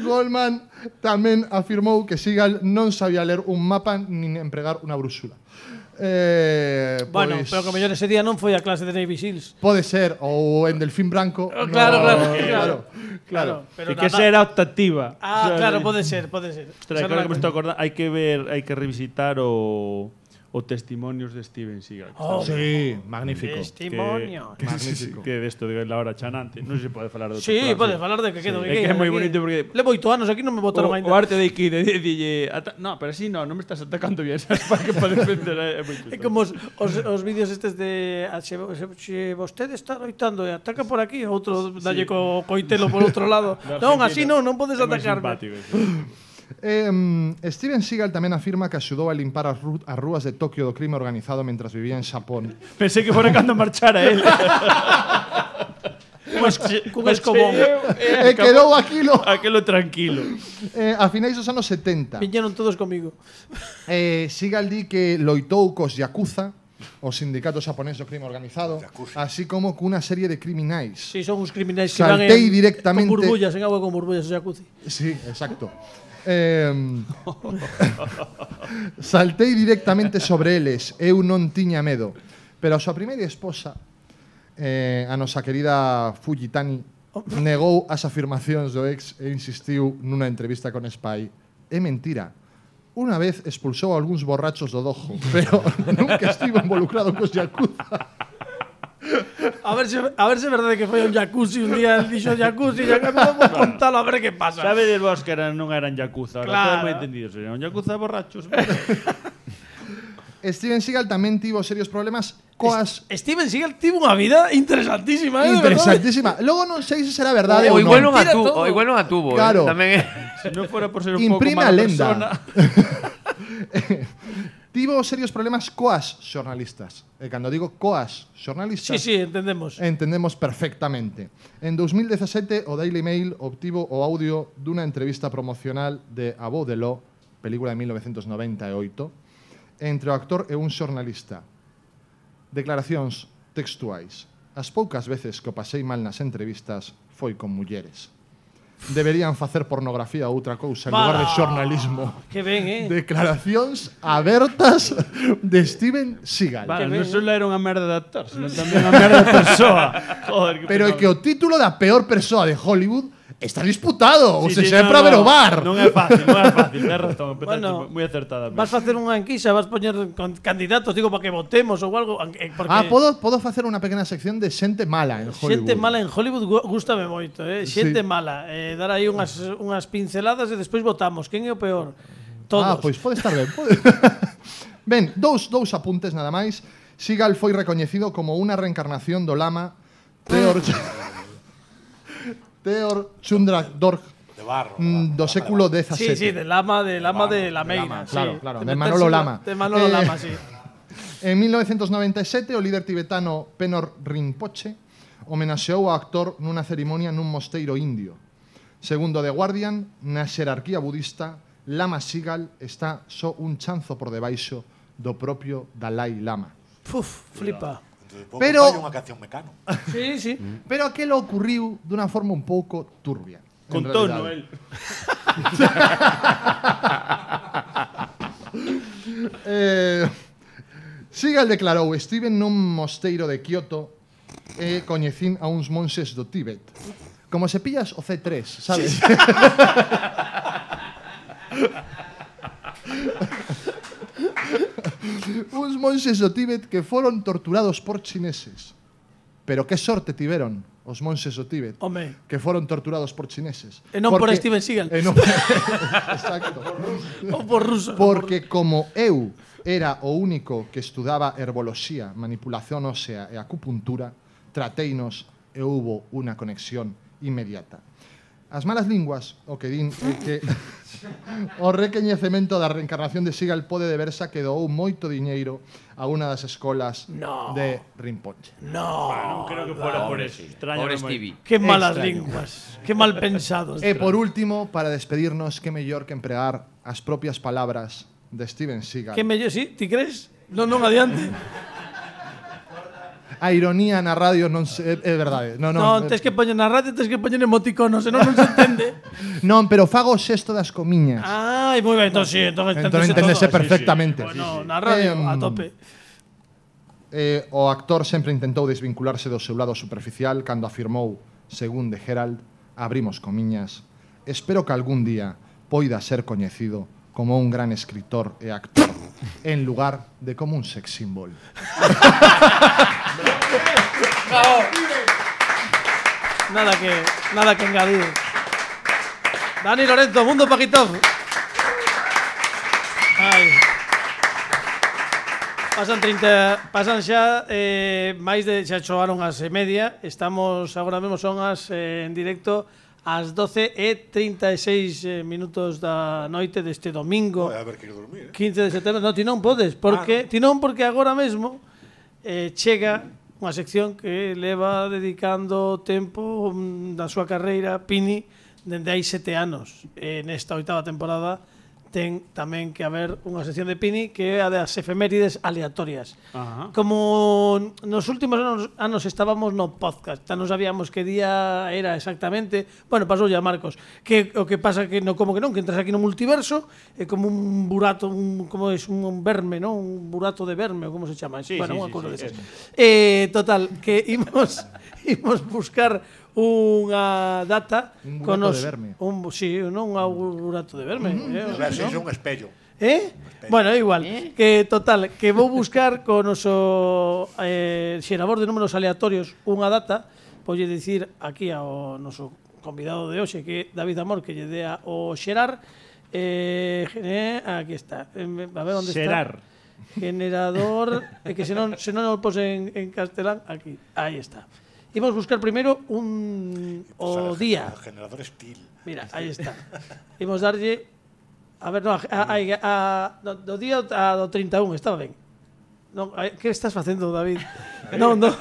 Goldman tamén afirmou que Seagal non sabía ler un mapa nin empregar unha brúxula. Eh, bueno, pois, pero que mellor ese día non foi a clase de Navy Seals. pode ser, ou en Delfín Branco. Oh, claro, no, claro, claro, claro. claro. Pero E que nada- esa era optativa. Ah, O sea, claro, pode ser, pode ser. Ostras, Esa claro non que me la- estou acordando, hai que ver, hai que revisitar o o testimonios de Steven Seagal. Oh, Sí, magnífico. Testimonio. Que, Magnífico. que de esto de la hora chanante. Non se pode falar de outro Sí, plan, podes falar de que quedo Sí, que é que é moi aquí. bonito porque Levo oito anos aquí non me o, botaron o ainda. arte de que de, de, de, ata, no, pero así no, non me estás atacando bien, sabes, para que para defender é, é moi chulo. É como os, os, os vídeos estes de ah, se, se, se vostede está loitando e ataca por aquí, outro dalle co coitelo por outro lado. Non, así non, non podes É moi atacarme. simpático eso. Eh, Steven Seagal tamén afirma que axudou a limpar as, ru as rúas de Tokio do crime organizado mentras vivía en Xapón. Pensei que fora cando marchara él. Cun escobón. E quedou aquilo Aquelo tranquilo. eh, a finais dos anos setenta. Viñeron todos comigo. Eh, Seagal di que loitou cos Yakuza, o sindicato xaponés do crime organizado, así como cunha serie de criminais. Si, sí, son uns criminais que van Saltei en, directamente- con burbullas, en agua con burbullas, o jacuzzi. Sí, exacto. Eh, saltei directamente sobre eles, eu non tiña medo. Pero a súa primeira esposa, eh, a nosa querida Fujitani, negou as afirmacións do ex e insistiu nunha entrevista con Spy. É mentira. Unha vez expulsou a algúns borrachos do dojo, pero nunca estivo involucrado cos Yakuza. A ver se a ver se é verdade que foi un jacuzzi un día, dixo jacuzzi, ya que vamos a contalo a ver que pasa. Sabe de vos que eran, non eran yakuza, ahora Claro. todo moi entendido, eran un yakuza borrachos. Steven Seagal tamén tivo serios problemas coas Steven Seagal tivo unha vida interesantísima, eh, de verdade. interesantísima. Logo non sei se será verdade O ou igual non non. a Tira tuvo, todo. o igual non a tuvo, Claro. eh. Tamén é. Se non fora por ser un pouco Imprime mala a lenda. persona. Tivo serios problemas coas xornalistas. E cando digo coas xornalistas, Sí, sí, entendemos. entendemos perfectamente. En dos mil dezasete, o Daily Mail obtivo o audio dunha entrevista promocional de A Voz de Lo, película de mil novecentos noventa e oito, entre o actor e un xornalista. Declaracións textuais. As poucas veces que o pasei mal nas entrevistas foi con mulleres. Deberían facer pornografía ou outra cousa en lugar de Vale. xornalismo. Que ben, eh. Declaracións abertas de Steven Seagal. Vale, ben, non eh. só era unha merda de actor, senón tamén unha merda de persoa. Joder, que Pero é pecado. que o título da peor persoa de Hollywood está disputado. Ou Sí, se sí, xa é no, para ver o no, bar. Non é fácil, non é fácil, tens razón, empezaste Bueno, moi acertada. Vas facer unha enquisa, vas poñer con candidatos, digo, para que votemos ou algo, eh, porque Ah, podo, podo facer unha pequena sección de xente mala en Hollywood. xente mala en Hollywood gu- gústame moito, eh. Xente Sí. mala, eh, dar aí unhas unhas pinceladas e despois votamos. Quen é o peor? Todos. Ah, pois pode estar ben. Pode. Ben, dous, dous apuntes nada máis. Seagal foi recoñecido como unha reencarnación do lama Teor Teor Chundrak-Dorj De barro. mm, do século dezasete. Sí, sí, de Lama, de Lama de Lameira. sí. Claro, claro, de meterse Manolo no- Lama. De Manolo Eh, Lama, sí. En mil novecientos noventa e sete, o líder tibetano Penor Rinpoche homenaxeou ao actor nunha cerimonia nun mosteiro indio. Segundo The Guardian, na xerarquía budista, Lama Seagal está só un chanzo por debaixo do propio Dalai Lama. Uf, flipa. Dentro de pouco Pero- fai unha canción Mecano. Sí, sí. Pero aquelo ocurriu dunha forma un pouco turbia. en Con realidade. tono, el. Eh, Seagal declarou: estive nun mosteiro de Kioto e coñecín a uns monxes do Tíbet. Como se pillas o C tres, sabes? Uns monxes do Tíbet que foron torturados por chineses. Pero que sorte tiveron os monxes do Tíbet, Home. que foron torturados por chineses. E non por Steven Seagal. E non Exacto. O por ruso. Porque como eu era o único que estudaba herboloxía, manipulación ósea e acupuntura, trateinos e houbo unha conexión inmediata. As malas linguas o que din é que o recoñecemento da reencarnación de Seagal pode deberse a que doou moito diñeiro a unha das escolas No. de Rinpoche. No. Non creo que fuera por eso. Extraño. Pobre Stevie. Qué malas Extraño. linguas. Qué mal pensados. E por último, para despedirnos, que mellor que empregar as propias palabras de Steven Seagal. Que mellor, sí, ti crees? Non, non, adiante. A ironía na radio non se, é verdade. Non, non, Non, tes que poñer na radio, tes que poñer emoticonos, senón non se entende. non, pero fago o xesto das comiñas. Ai, moi ben, entón sí, entón Entón enténdese enténdese todo. perfectamente. Bueno, na radio, Eh, a tope. Eh, o actor sempre intentou desvincularse do seu lado superficial cando afirmou, según The Herald, abrimos comiñas, espero que algún día poida ser coñecido como un gran escritor e actor en lugar de como un sex symbol. Nada que, nada que engadir. Dani Lorenzo, Mundo Paquitov. Ai. Pasan trinta, pasan xa eh, máis de xa choaron as e media. Estamos agora mesmo son as eh, en directo ás doce e trinta e seis eh, minutos da noite deste domingo. Vai haber que ir dormir, eh? quince de setembro. No, ti non podes, porque ti non porque agora mesmo eh, chega unha sección que leva dedicando tempo mm, da súa carreira Pini dende hai sete anos. E nesta oitava temporada ten tamén que haber unha sección de Pini que é a das efemérides aleatorias. Ajá. Como nos últimos anos, anos estábamos no podcast, xa non sabíamos que día era exactamente. Bueno, pasou ya Marcos, que o que pasa que no como que non, que entras aquí no multiverso é como un burato, un como es un, un verme, ¿no? Un burato de verme, ou como se chama? Sí, bueno, sí, unha sí, cousa sí, desas. eso. Eh, total, que imos imos buscar unha data Un con burato os de verme. un sí, non un burato de verme, eh, A ver, se ¿no? é un espello. Eh? Bueno, é igual. Que total, que vou buscar con o noso eh, xerador de números aleatorios unha data, voulle dicir aquí ao noso convidado de hoxe que é David Amor que lle dea o xerar eh, gene- aquí está. Eh, a ver onde Xerar. está. Generador, é que se non se non o pose en, en castelán, aquí. Aí está. Imos buscar primeiro un o día. O generador Steel. Mira, aí está. Imos darlle a ver, no, a, a, a, do, do día a do treinta e un, estaba ben. Non, a, que estás facendo, David? Non, non.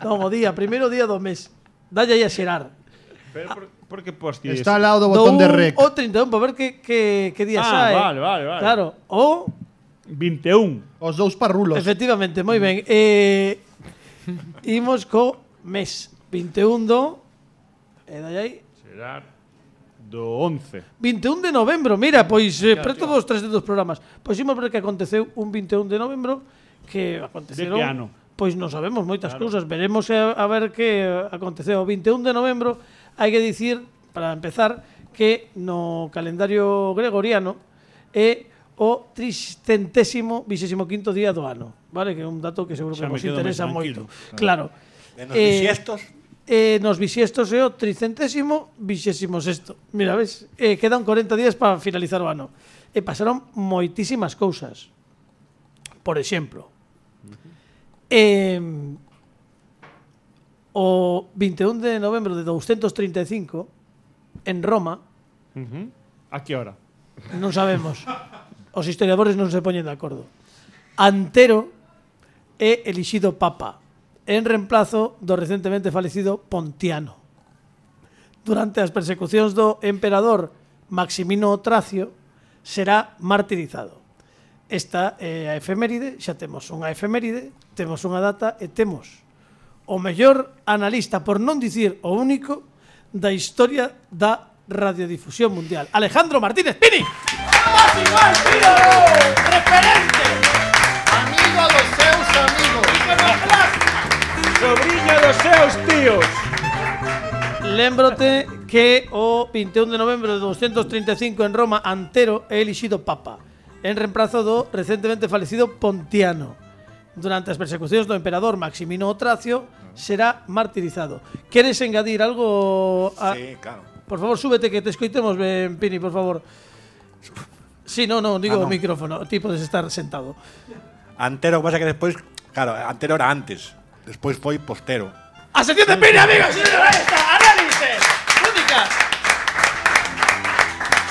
Non, o día, primeiro día do mes. Dalle aí a xerar. Pero por, por que posti Está eso? ao lado do botón de un rec. O treinta e un, para ver que, que, que día Ah, sae. vale, vale, vale. Claro, o vinte e un. Os dous parrulos. efectivamente, moi ben. Eh, imos co mes. vinte e un do... E dalle aí... Será do once. vinte e un de novembro, mira, pois eh, preto dos trescentos programas. Pois imos ver que aconteceu un vinte e un de novembro que aconteceron. De que ano? Pois non sabemos moitas claro. cousas, veremos a, a ver que aconteceu o vinte e un de novembro. Hai que dicir, para empezar, que no calendario gregoriano é o tricentésimo vixésimo quinto día do ano, vale? Que é un dato que seguro que Xa me vos quedo interesa máis moito. tranquilo. Claro. E nos Eh, bisiestos, Eh, nos bisiestos é o tricentésimo vixésimo sexto. Mira, ves, eh, quedan corenta días para finalizar o ano. E pasaron moitísimas cousas. por exemplo. Eh, o vinte e un de novembro de douscentos trinta e cinco, en Roma, Uh-huh. A que hora? non sabemos, os historiadores non se poñen de acordo, Antero é elixido papa en reemplazo do recentemente falecido Pontiano. Durante as persecucións do emperador Maximino Tracio será martirizado. Esta é a efeméride, xa temos unha efeméride, temos unha data e temos o mellor analista, por non dicir o único, da historia da radiodifusión mundial. Alejandro Martínez Pini. ¡Máximo estilo! ¡Referente! Amigo dos seus amigos. Sobrinho dos seus tíos. Lémbrote que o vinte e un de novembro de douscentos trinta e cinco en Roma, Antero é elixido papa en reemplazo do recentemente falecido Pontiano. Durante as persecucións do emperador Maximino Tracio será martirizado. Queres engadir algo? A... Sí, claro. Por favor, súbete que te escoitemos ben, Pini, por favor. Sí, no, no, digo Ah, o no. micrófono. Ti podes estar sentado. Antero, o que pasa que despois, claro, Antero era antes. Despois foi postero. ¡A sección de Pini, amigos! ¡Ahí está! ¡Análisis! ¡Únicas!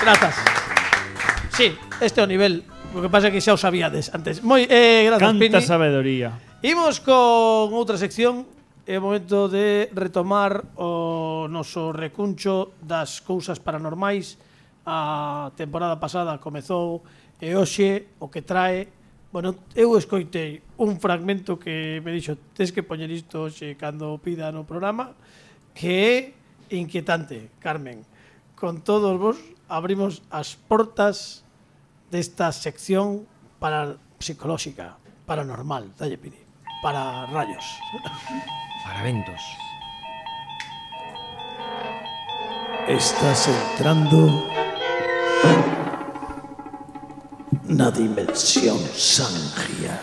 Grazas. Sí, este é o nivel. O que pasa é que xa o sabíades antes. Moi, eh, grazas, Pini. Canta sabedoría. Imos con outra sección. É o momento de retomar o noso recuncho das cousas paranormais. A temporada pasada comezou e hoxe o que trae... Bueno, eu escoitei un fragmento que me dixo tes que poñer isto hoxe cando pida no programa, que é inquietante, Carmen. Con todos vos abrimos as portas desta sección para psicolóxica, paranormal, dalle Pini, para rayos. Para ventos. Estás entrando na dimensión Sangia.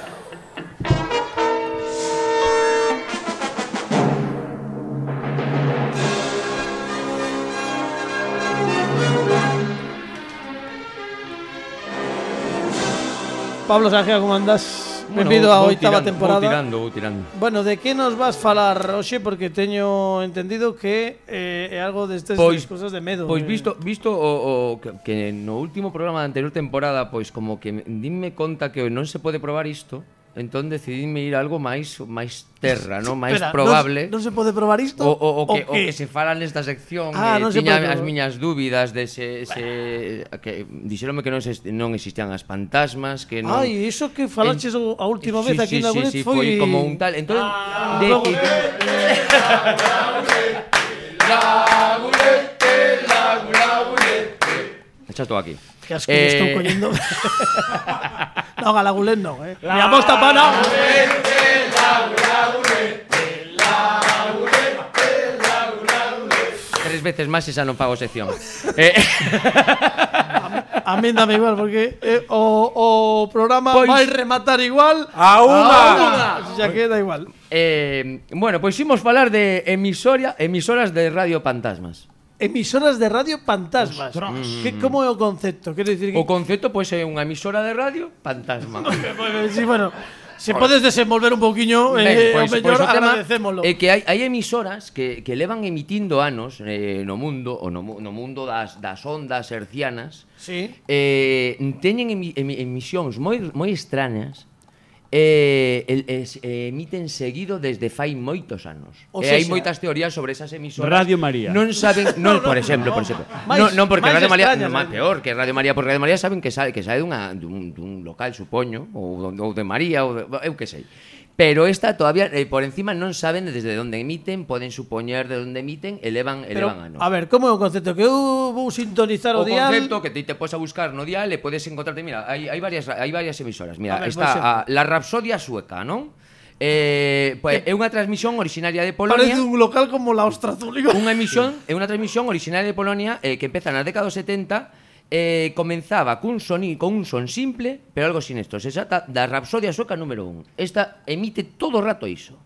Pablo Sangia, como andas? Benvido á vou oitava tirando, temporada. Vou tirando, vou tirando. Bueno, de que nos vas falar hoxe? Porque teño entendido que eh, é algo destes Pois- das cosas de medo. Pois eh. visto visto o, o que, que no último programa da anterior temporada, pois como que me- dime conta que non se pode probar isto, entón decidime ir a algo máis máis terra, no, máis Espera, probable. Non, non se pode probar isto? O, o, o, que, o que? que se fala nesta sección, Ah, eh, non se tiña pode as probar. miñas dúbidas de se, se que dixeronme que non se, non existían as fantasmas, que non. Ai, iso que falaches En- a última sí, vez aquí sí, na sí, Gulet sí, foi... foi como un tal. Entón, Ah, de luego- que Echa todo aquí. Que asco que Eh, estou collendo. No, Galagulet non, eh. Mi aposta pana. Tres veces máis esa non fago sección. eh, A min dame igual, porque eh, o, o programa Pois- vai rematar igual A unha! xa queda igual. eh, bueno, pois imos falar de emisoria, emisoras de radio fantasmas. Emisoras de radio fantasmas. Que, como é o concepto? Quero dicir que... O concepto pois é unha emisora de radio fantasma. Sí, bueno, se podes desenvolver un pouquiño, Ben, eh, pois, o mellor pois o tema agradecémolo. é que hai, hai emisoras que, que levan emitindo anos eh, no mundo, o no, mu- no mundo das, das ondas hercianas, Sí. eh, teñen emi, emi, emisións moi, moi extrañas, eh, el, es, eh, emiten seguido desde fai moitos anos. O E hai sexa, moitas teorías sobre esas emisoras. Radio María. Non saben, non, por exemplo, por exemplo. Máis- non, non porque máis Radio María, extrañas, non, máis eh. peor que Radio María, porque Radio María saben que sabe que sae dunha dun, dun local, supoño, ou, ou de María ou de, eu que sei. Pero esta todavía eh, por encima non saben desde onde emiten, poden supoñer de onde emiten, elevan Pero, elevan anos. a ver, como é o concepto? Que eu vou sintonizar o, O dial... concepto que ti te podes a buscar no dial e podes encontrarte, mira, hai, hai varias hai varias emisoras. A Mira, ver, por está exemplo. a, la Rapsodia sueca, non? Eh, pues, é unha transmisión originaria de Polonia. Parece un local como la Ostra Zúñiga. Unha emisión, é unha transmisión originaria de Polonia eh, que empeza na década dos setenta. Eh, comenzaba cun soni, con un son simple, pero algo sinestro. Se trata da Rapsodia sueca número un. Esta emite todo o rato iso.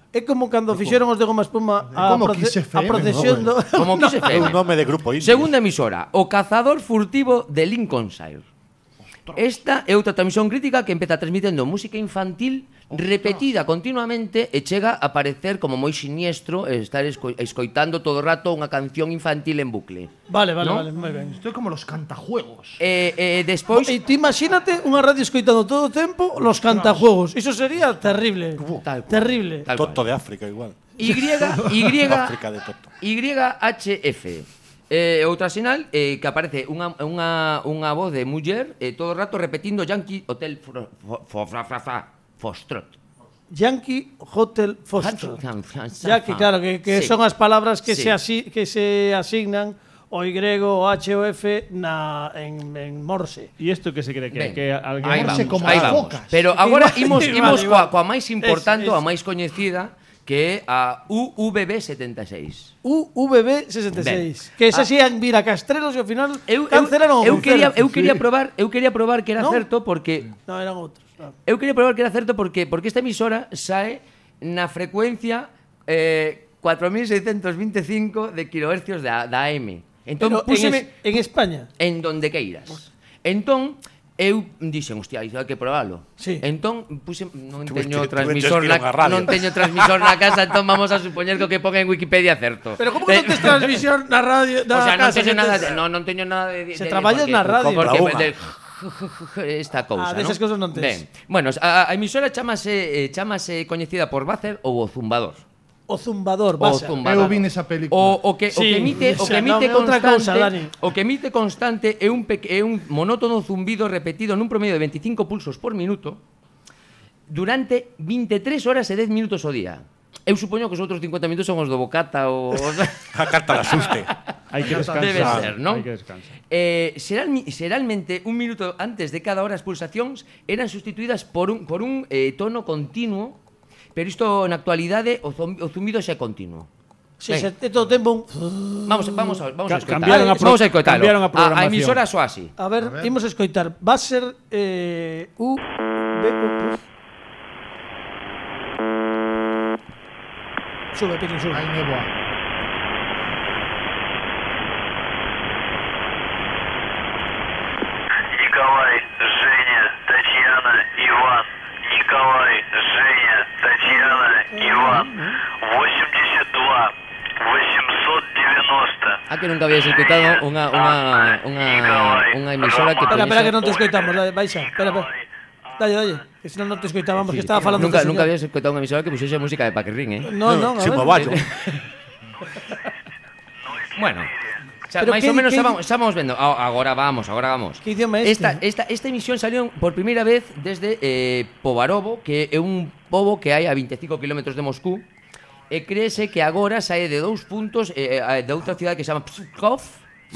É como cando fixeron os de Goma Espuma a, Como proce Kiss F M, a procesión do... ¿no? Como que se É un nome de grupo indio. Segunda emisora, o cazador furtivo de Lincolnshire. Esta é outra transmisión crítica que empeza transmitendo música infantil repetida continuamente e chega a parecer como moi siniestro estar esco escoitando todo o rato unha canción infantil en bucle. Vale, vale, ¿no? vale, moi ben. Estoy como los cantajuegos. E eh, despois E ti imagínate unha radio escoitando todo o tempo los cantajuegos. Iso sería terrible. Tal cual. Terrible. Tal Toto cual. de África igual. Y Y África de Toto. Y H F. Eh, outra sinal eh, que aparece unha, unha, unha voz de muller eh, todo o rato repetindo Yankee Hotel Fro- Fo- Fo- Fra- Fra- Fra- Foxtrot. Yankee Hotel Foxtrot. Ya que claro, que, que Sí. son as palabras que, Sí. se asi, que se asignan o Y, o H o F na, en, en Morse. E isto que se cree que, Ben, que alguén aí Morse vamos, como aí as vamos. focas. Pero agora Igual, imos, igual, imos igual. coa, coa máis importante, Es- a es- máis coñecida, que é a U V B setenta e seis. U V B sesenta e seis. Que esa Ah. sí han vir a Castrelos e ao final Eu, eu, cancelaron o eu quería eu concerto. quería probar, eu quería probar que era ¿No? certo porque No, eran outros. No. eu quería probar que era certo porque porque esta emisora sae na frecuencia eh, cuatro mil seiscientos veinticinco de kilohercios da, da A M. Entón, Pero en, púseme es, en España. en donde queiras. Entón, eu dixen, hostia, iso hai que probalo. Sí. Entón, puse, non Tuviste- teño tuviste transmisor que ir na, a unha radio. non teño transmisor na casa, entón vamos a supoñer que o que ponga en Wikipedia é certo. Pero como que non tes transmisión na radio O da sea, non casa? teño que nada tes- de, no, non teño nada de, Se de traballas porque- na radio. porque Compra de, esta Ah, cousa, desas ¿no? cousas non tes. Ben, bueno, a, a emisora chamase eh, chamase coñecida por Buzzer ou o Zumbador. O zumbador, O base. zumbador. Eu vin esa película. O, o que o Sí, que emite o esa, que non, emite é outra constante, cousa, Dani. o que emite constante é un peque, é un monótono zumbido repetido nun promedio de veinticinco pulsos por minuto durante veintitrés horas e diez minutos ao día. Eu supoño que os outros cincuenta minutos son os do bocata ou A carta de asuste. Hai que descansar. Debe ser, non? Hai que descansar. Eh, xeral, xeralmente un minuto antes de cada hora as pulsacións eran sustituídas por un, por un eh, tono continuo, pero isto na actualidade o, zom, o zumbido xa é continuo. Si, Ben, se é todo o tempo un... Vamos, vamos a, vamos a Ca- escoitar. cambiaron a pro- vamos a escoitalo. cambiaron a a, a programación. emisora soa así. A ver, imos a escoitar. Va a ser eh, U B U. Sube, Pirín, sube. Hai neboa. Николай, Женя, Татьяна, Иван. Николай, Женя, Татьяна, Иван. восемьдесят два, восемьсот девяносто. A que nunca habíais escoitado unha, unha, unha, unha emisora que Espera, espera que pudiese- non te escoitamos, dale, baixa. Espera, espera. Dalle, dalle. Que senón non te escoitábamos, que estaba falando Nunca, co nunca señor. habías escoitado unha emisora que puxese música de Paquirrín, eh? No, no, a Sin ver. moballo. Bueno, xa, Pero máis que- ou menos que- xa vamos, xa vamos vendo. A- Agora vamos, agora vamos. Que idioma é este? Esta, esta, esta emisión salió por primeira vez desde eh, Povarovo, que é un pobo que hai a veinticinco kilómetros de Moscú, e créese que agora sae de dous puntos eh, eh, de outra cidade que se chama Pskov,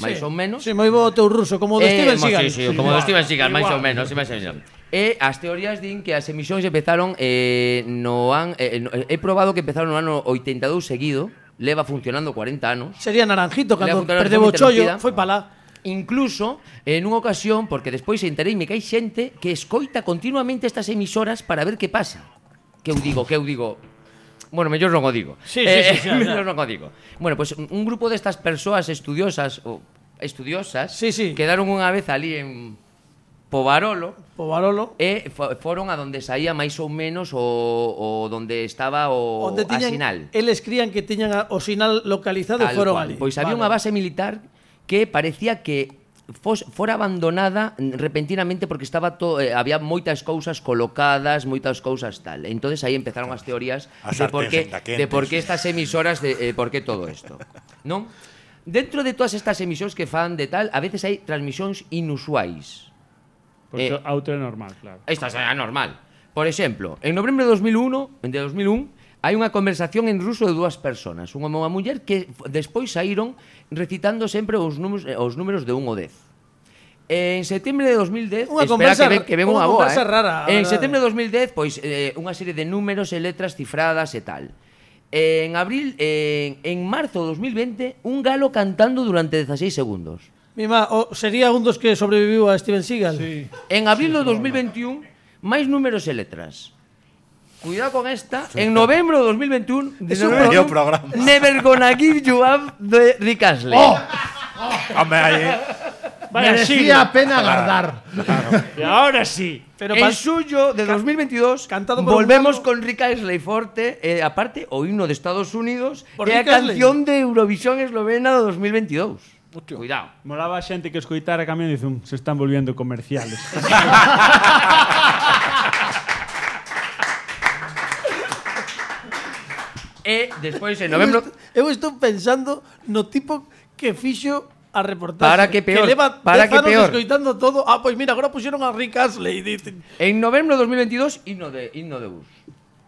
máis Sí. ou menos. Sí, moi bo o teu ruso, como o de Eh, Steven mo- Seagal. Sí, sí, como do Steven Seagal, máis ou menos, sí, máis ou menos. E as teorías din que as emisións empezaron eh, no an, eh, no, he probado que empezaron no ano oitenta e dous seguido, leva funcionando cuarenta anos. Sería Naranjito, Le cando apuntaron perdeu o de forma chollo, interrumpida. foi pa lá. Incluso en unha ocasión, porque despois entereime que hai xente que escoita continuamente estas emisoras para ver que pasa. Que eu digo, que eu digo. Bueno, mellor non o digo. Sí, sí, sí, sí, mellor xa. non o digo. Bueno, pues un grupo destas persoas estudiosas ou estudiosas Sí, sí. quedaron unha vez ali en Povarolo Po Barolo. e fo- foron a donde saía máis ou menos o, o donde estaba o Onde a tiñan, sinal. eles crían que tiñan a- o sinal localizado e Tal foron cual. ali. Pois había Vale. unha base militar que parecía que fos, fora abandonada repentinamente porque estaba to, eh, había moitas cousas colocadas, moitas cousas tal. Entonces aí empezaron as teorías As de por sarténs qué endaquentes. de por qué estas emisoras de eh, por qué todo isto, ¿non? Dentro de todas estas emisións que fan de tal, a veces hai transmisións inusuais. Porque Eh, a outra é normal, claro. Esta será normal. Por exemplo, en novembro de dos mil uno, de dos mil un, hai unha conversación en ruso de dúas persoas, unha e unha muller que f- despois saíron recitando sempre os números, eh, os números de un ao dez. En setembro de dos mil dez, Unha espera conversa- que ven, que ven unha unha boa, conversa eh. rara, a En verdade. setembro de dos mil dez, pois eh, unha serie de números e letras cifradas e tal. En abril, en, en marzo de dos mil veinte, un galo cantando durante dieciséis segundos. Mima, o, sería un dos que sobreviviu a Steven Seagal. Sí. En abril de dos mil veintiún, máis números e letras. Cuidado con esta. En novembro de dos mil veintiún, Es un Medio programa. Never Gonna Give You Up de Rick Astley. Hombre, aí, eh. Vaya Merecía siglo. pena guardar. Y ahora sí. Pero en pa- suyo de dos mil veintidós cantado por un volvemos galo. con Rick Astley forte, e aparte o himno de Estados Unidos Por e a Rick Astley. canción de Eurovisión eslovena do dos mil veintidós. Cuidado. Molaba a xente que escoitara a camión e dice, "Um, se están volviendo comerciales." E despois en novembro Eu estou pensando no tipo que fixo a reportaxe. Para que peor, Que leva para dez que anos peor. escoitando todo. Ah, pois mira, agora puxeron a Rick Astley. Dicen. en novembro de dos mil veintidós himno de himno de bus.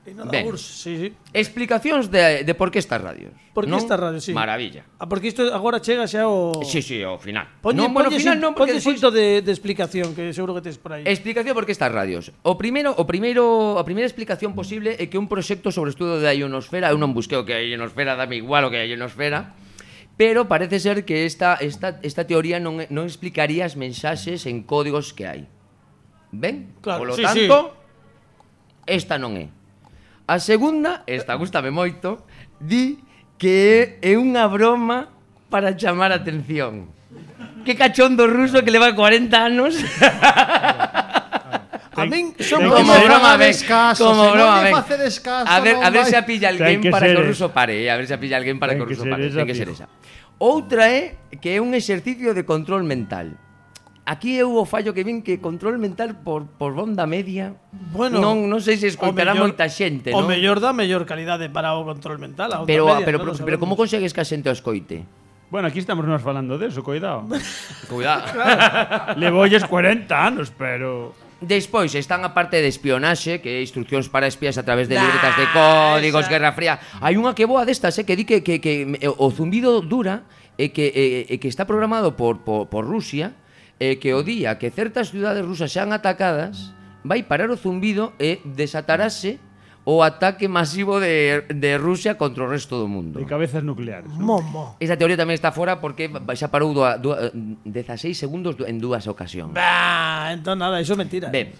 E nada, Ben. Urs, sí, sí. Explicacións de, de por que estas radios. Por que non? estas radios, sí. Maravilla. Ah, porque isto agora chega xa o... Sí, sí, ao final. Ponlle, non, bueno, ao ponlle final sin- non, porque ponlle despois xito de, de explicación, que seguro que tes por aí. explicación por que estas radios. O primeiro, o primeiro, a primeira explicación posible é que un proxecto sobre o estudo da ionosfera, eu non busquei o que é a ionosfera, dame igual o que é a ionosfera, pero parece ser que esta, esta, esta teoría non, non explicaría as mensaxes en códigos que hai. Ben? Claro, Polo sí, tanto, esta non é. A segunda, esta gústame moito, di que é unha broma para chamar a atención. Que cachondo ruso que leva cuarenta anos. A min son ten Como que ser- broma, ben. Descaso, Como se non broma, lle ben. facedes caso, A ver, non a ver vai. se a pilla alguén Ten que para ser que o esa. ruso pare, eh, a ver se a pilla alguén para Ten que o que ruso ser pare. esa, Ten que ser fijo. esa. Outra é que é un exercicio de control mental. Aquí eu o fallo que vin que control mental por, por banda media. Bueno, non, non sei se escoitará o mellor- moita xente, O non? mellor dá mellor calidade para o control mental. A outra Pero, media, pero, non pero, lo pero como sabemos. consegues que a xente o escoite? Bueno, aquí estamos nós falando de eso, cuidado. Cuidado. Levolles cuarenta anos, pero... Despois están a parte de espionaxe, que é instruccións para espías a través de libretas de códigos, Guerra Fría. Hai unha que boa destas, eh, que di que, que, que o zumbido dura e que, e, e que está programado por, por, por Rusia, e que o día que certas ciudades rusas xan atacadas, vai parar o zumbido e desatarase o ataque masivo de, de Rusia contra o resto do mundo. De cabezas nucleares. ¿no? Momo. Esta teoría tamén está fora porque xa parou dua, dua, dezasseis segundos en dúas ocasións. Bah, entón nada, iso é mentira. Ben,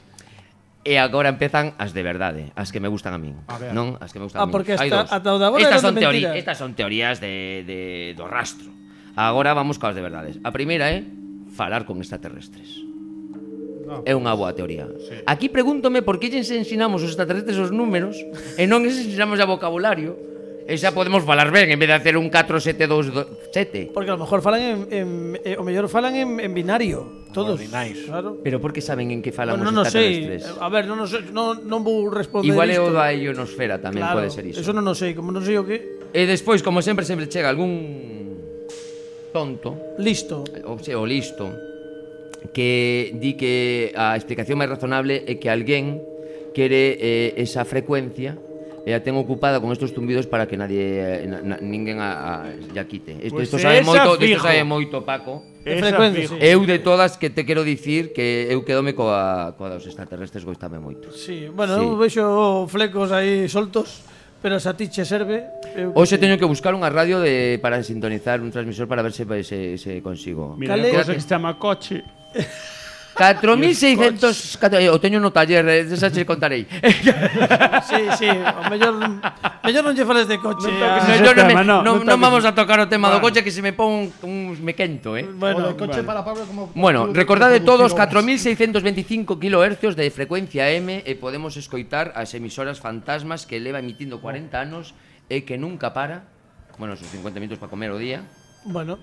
e agora empezan as de verdade, as que me gustan a min, ver. non? As que me gustan Ah, a min. porque Hai hasta- dos. ata o de agora estas eran son de teorías, mentira. estas son teorías de, de do rastro. Agora vamos coas de verdades. A primeira é falar con extraterrestres. É unha boa teoría. Aquí pregúntome por que lles ensinamos os extraterrestres os números e non lles ensinamos a vocabulario. E xa podemos falar ben en vez de hacer un catro sete dous sete. Porque a lo mejor falan en, en eh, o mellor falan en, en binario, todos. Ordinais. Claro. Pero por que saben en que falan Bueno, os non o sei. extraterrestres? A ver, non o sei, non non vou responder Igual é isto. o da ionosfera tamén, Claro, pode ser iso. Eso non o sei, como non sei o que. E despois, como sempre, sempre chega algún tonto, Listo. ou, se, o listo, que di que a explicación máis razonable é que alguén quere eh, esa frecuencia e a ten ocupada con estos zumbidos para que nadie, na, na, ninguén a, a, ya quite. Isto, Pues isto sabe esa moito, isto fijo. sabe moito, Paco. Esa frecuencia, fijo. sí. Eu de todas que te quero dicir que eu quedome coa, coa dos extraterrestres, goistame moito. Sí, bueno, Sí. eu vexo flecos aí soltos, pero se a ti che serve. Eu Hoxe que sei. teño que buscar unha radio de, para sintonizar un transmisor para ver se, se, se consigo. Mira, Cale- unha cosa que se chama coche. catro mil seiscentos... catro- O teño no taller, eh, esa che contarei. Sí, sí, o mellor mellor non lle fales de coche. Non a- toques No, yo no, me, tema, no, no, non non toques vamos a tocar o tema do Bueno. coche que se me pon un, me quento, eh. O Bueno, de coche para Pablo como Bueno, como recordade todos producir catro obras. mil seiscentos veinticinco kilohercios de frecuencia M e podemos escoitar as emisoras fantasmas que leva emitindo cuarenta anos e que nunca para. Bueno, sus cincuenta minutos para comer o día. bueno.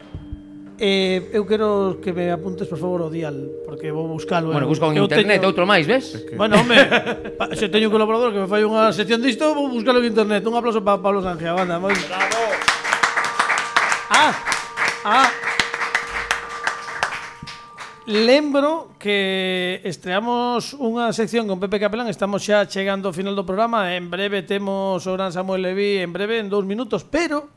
Eh, eu quero que me apuntes, por favor, o dial, porque vou buscalo. Bueno, eu- busca en eu internet teño- outro máis, ves? Bueno, home, pa, se teño un colaborador que me fai unha sección disto, vou buscalo en internet. Un aplauso para Pablo Sánchez, banda. Moi... Bravo. Ah, ah. Lembro que estreamos unha sección con Pepe Capelán. Estamos xa chegando ao final do programa. En breve temos o gran Samuel Leví, en breve, en dous minutos. Pero,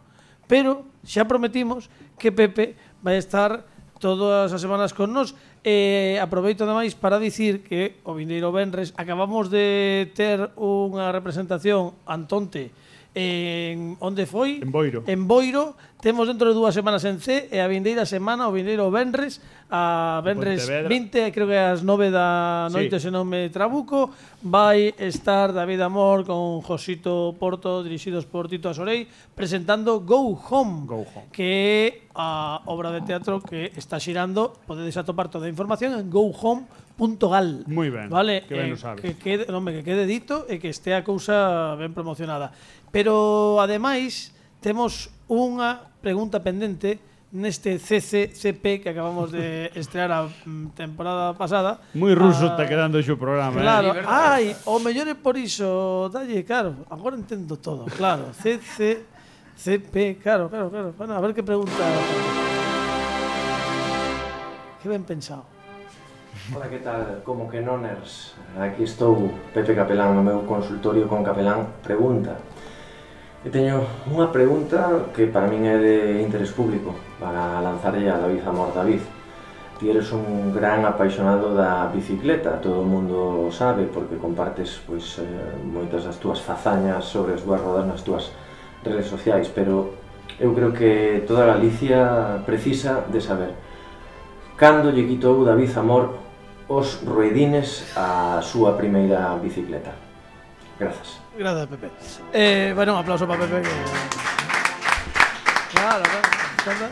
pero, xa prometimos que Pepe vai estar todas as semanas con nos. E aproveito ademais para dicir que o vindeiro venres acabamos de ter unha representación Antonte en onde foi? En Boiro. En Boiro. Temos dentro de dúas semanas en C e a vindeira semana, o vindeiro venres, a venres Pontevedra. vinte, creo que ás nove da noite, Sí. se non me trabuco, vai estar David Amor con Josito Porto, dirixidos por Tito Asorei, presentando Go Home, Go Home. que é a obra de teatro que está xirando. Podedes atopar toda a información en go home punto gal. Moi ben, Vale, que ben eh, o sabes. que quede, non, que quede dito e que estea a cousa ben promocionada. Pero ademais temos unha pregunta pendente neste C C C P que acabamos de estrear a mm, temporada pasada. Moi ruso Ah, está quedando xo programa, Claro, eh? ai, o mellor é por iso, dalle, claro, agora entendo todo, claro, C C C P, claro, claro, claro, bueno, a ver que pregunta. Que ben pensado. Hola, que tal? Como que noners? Aquí estou, Pepe Capelán, no meu consultorio con Capelán Pregunta. E teño unha pregunta que para min é de interés público para lanzarlle a David Amor. David, ti eres un gran apaixonado da bicicleta, todo o mundo sabe porque compartes pois, eh, moitas das túas fazañas sobre as dúas rodas nas túas redes sociais, pero eu creo que toda Galicia precisa de saber cando lle quitou David Amor os ruedines á súa primeira bicicleta. Grazas. Gracias, Pepe. Eh, bueno, un aplauso para Pepe. Que... Claro, claro.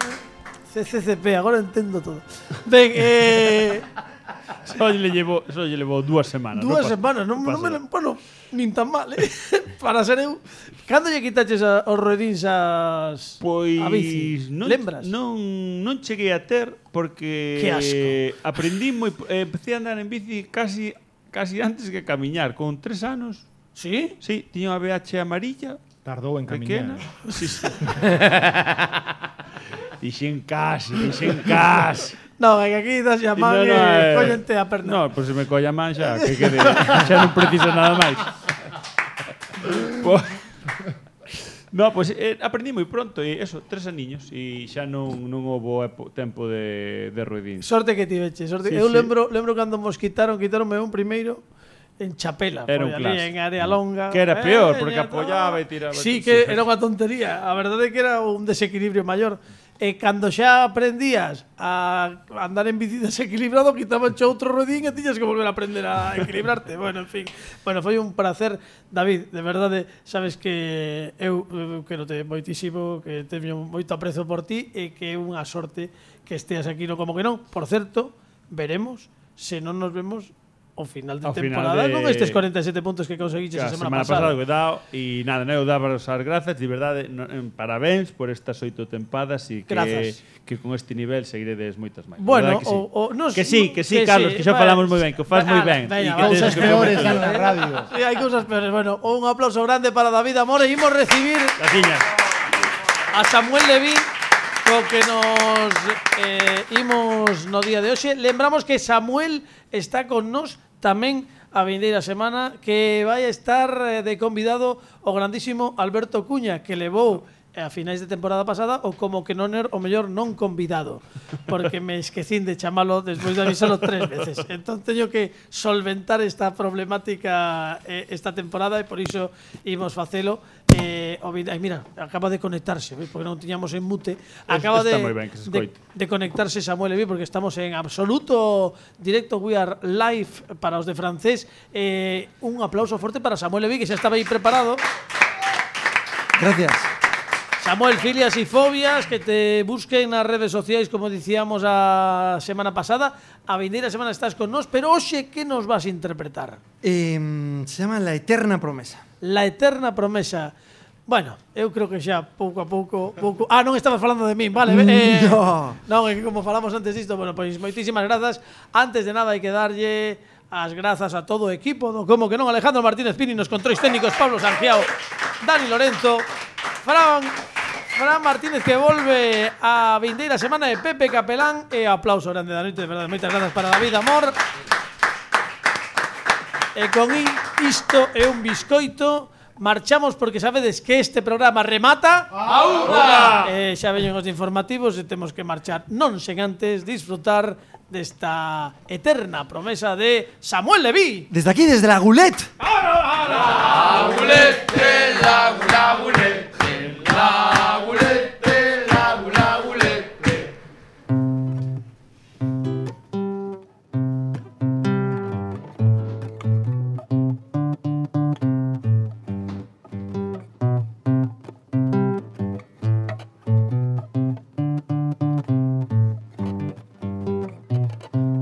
C C C P, agora entendo todo. Ben, eh... Só lle llevo, só lle levo dúas semanas. Dúas non semanas, non, non pasa me nada. lem- bueno, nin tan mal, eh? Para ser eu. Cando lle quitaches a, os ruedins as Pois a bici? non, Lembras? non, non cheguei a ter porque Que asco. aprendí moi eh, empecé a andar en bici casi casi antes que camiñar, con tres anos. Sí? Sí, tiña unha B H amarilla, Tardou en pequena. camiñar. Sí, sí. Dixen casi, dixen casi. No, que aquí das a man No, e no, eh, collente a perna. No, pois se me colla a man xa, que quede, xa non preciso nada máis. Po- No, pois eh, aprendí moi pronto e eso, tres aniños e xa non non houbo epo- tempo de de ruedín. Sorte que tiveche, sorte. Sí, eu sí. lembro, lembro cando mos quitaron, quitaronme un primeiro en Chapela, Era foi un ali clásico. en área longa. Que era peor, Eh, porque ya apoyaba está. e tiraba Sí, todo. que Sí. era unha tontería. A verdade é que era un desequilibrio maior. E cando xa aprendías a andar en bici desequilibrado, quitaban xa outro rodín e tiñas que volver a aprender a equilibrarte. Bueno, en fin. Bueno, foi un placer, David, de verdade, sabes que eu, eu quero te moitísimo, que teño moito aprezo por ti e que é unha sorte que esteas aquí no Como que non. Por certo, veremos se non nos vemos ao final de Ao final temporada de- con estes cuarenta e sete puntos que conseguiches Que a a semana, semana pasada que dao e nada, eu daba as grazas, de verdade, no, en, parabéns por estas oito tempadas e que Grazas. que con este nivel seguiredes moitas máis. Bueno, Verdade que sí. o, o nos, que sí, que sí, que Carlos, sí. que xa Bueno, falamos moi ben, que o faz moi ala, ben. veña, e que vamos tes Cousas que peores comentar. dan na radio. Sí, hai cousas peores. Bueno, un aplauso grande para David Amor e imos recibir Graciñas. a Samuel Levín co que nos eh, imos no día de hoxe. Lembramos que Samuel está con nos tamén a vindeira semana, que vai a estar eh, de convidado o grandísimo Alberto Cuña, que levou eh, a finais de temporada pasada o como que non er o mellor non convidado, porque me esquecín de chamalo despois de avisalo tres veces. Entón teño que solventar esta problemática eh, esta temporada e por iso imos facelo. Eh, o vid- ai, mira, acaba de conectarse, ¿ves? Porque non tiñamos en mute. Acaba está de, moi ben que se de, escoite. de conectarse Samuel Leví, porque estamos en absoluto directo, we are live para os de francés. Eh, un aplauso forte para Samuel Leví, que xa estaba aí preparado. Gracias. Samuel, filias y fobias, que te busquen nas redes sociais, como dicíamos a semana pasada. A vindeira semana estás con nós, pero hoxe que nos vas a interpretar? Eh, se llama La Eterna Promesa. La eterna promesa. Bueno, eu creo que xa pouco a pouco, pouco... Ah, non estabas falando de min, vale. Eh, No. Non, é que como falamos antes disto, bueno, pois moitísimas grazas. Antes de nada hai que darlle as grazas a todo o equipo do Como que non, Alejandro Martínez Pini nos controis técnicos, Pablo Sangiao, Dani Lorenzo, Fran Fran Martínez que volve a vindeira semana de Pepe Capelán e aplauso grande da noite, de verdade, moitas grazas para David Amor. E con isto é un biscoito. Marchamos porque sabedes que este programa remata Aúna! eh, xa veñen os informativos e temos que marchar non sen antes disfrutar desta eterna promesa de Samuel Leví. Desde aquí, desde la Goulet. Lagunete, lagu, lagunete, lagunete, lagu, lagunete.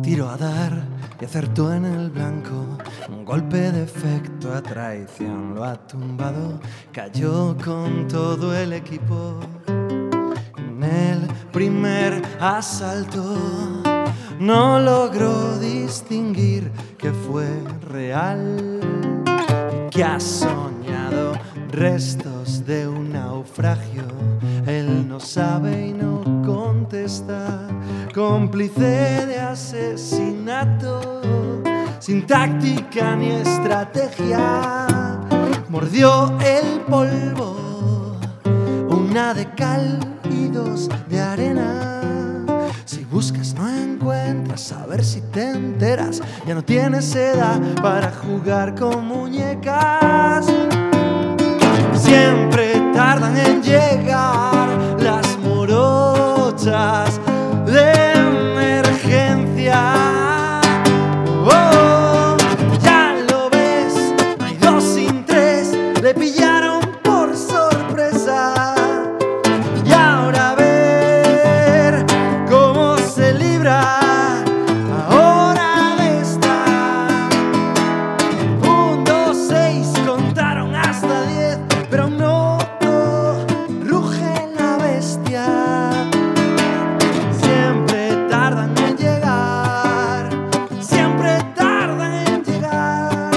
tiro a dar y acertó en el blanco. Un golpe de efecto a traición lo ha tumbado. Cayó con todo el equipo. En el primer asalto no logró distinguir que fue real y que ha soñado restos de un naufragio. Él no sabe y no contesta, cómplice de asesinato, sin táctica ni estrategia. Mordió el polvo, una de cal y dos de arena. Si buscas no encuentras, a ver si te enteras. Ya no tienes edad para jugar con muñecas. Siempre tardan en llegar las morochas de emergencia. Oh, ya lo ves, no hay dos sin tres, le pillaron por sorpresa. Y ahora a ver cómo se libra ahora de esta. Un, dos, seis, contaron hasta diez, pero no ruge la bestia. Siempre tardan en llegar, siempre tardan en llegar,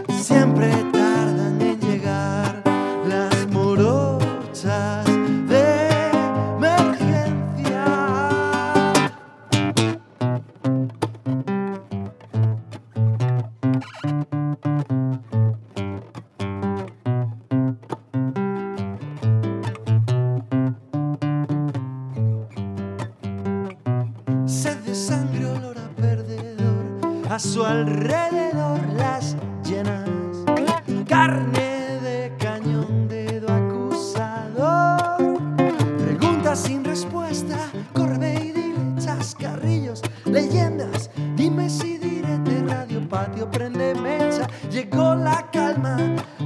siempre tardan en llegar las morochas de emergencia. Sed de sangre, olor a perdedor, a su alrededor las llenas. Carne de cañón, dedo acusador. Preguntas sin respuesta, corre ve y dile. Chascarrillos, leyendas, dime si direte. Radio patio, prende mecha. Llegó la calma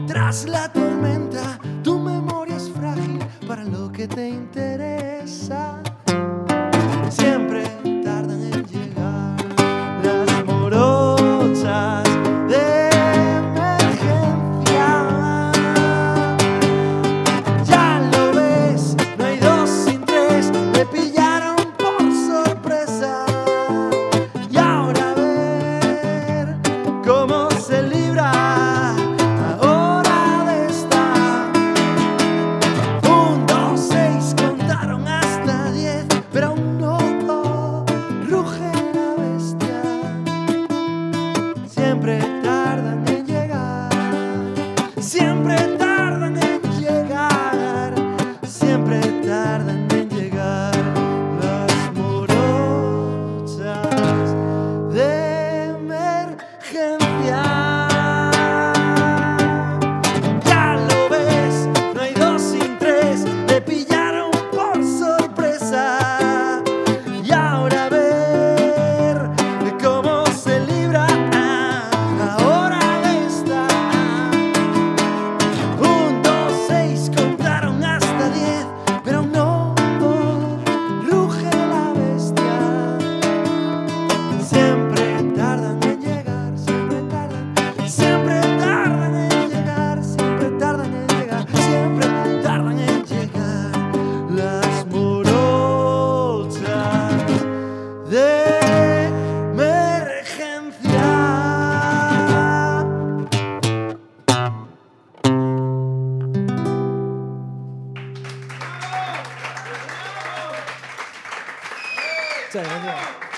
tras la tormenta. Tu memoria es frágil para lo que te interesa. Siempre tardan en llegar las morochas de emergencia. Ya lo ves, no hay dos sin tres, le pillaron por sorpresa. Y ahora a ver cómo se libra ahora de esta. Un, dos, seis, contaron hasta diez, pero aún no ruge la bestia. Siempre tardan en llegar, siempre tardan en llegar, siempre tardan en llegar las morochas de emergencia. Ya lo ves, no hay dos sin tres, le pillaron por sorpresa. Y ahora a ver cómo se libra ahora de esta. Un, dos, seis, contaron hasta diez, pero no ruge la bestia. Siempre tardan en llegar, siempre tardan, siempre tardan en llegar, siempre tardan en llegar, siempre tardan en llegar las morochas de emergencia. Muchas gracias.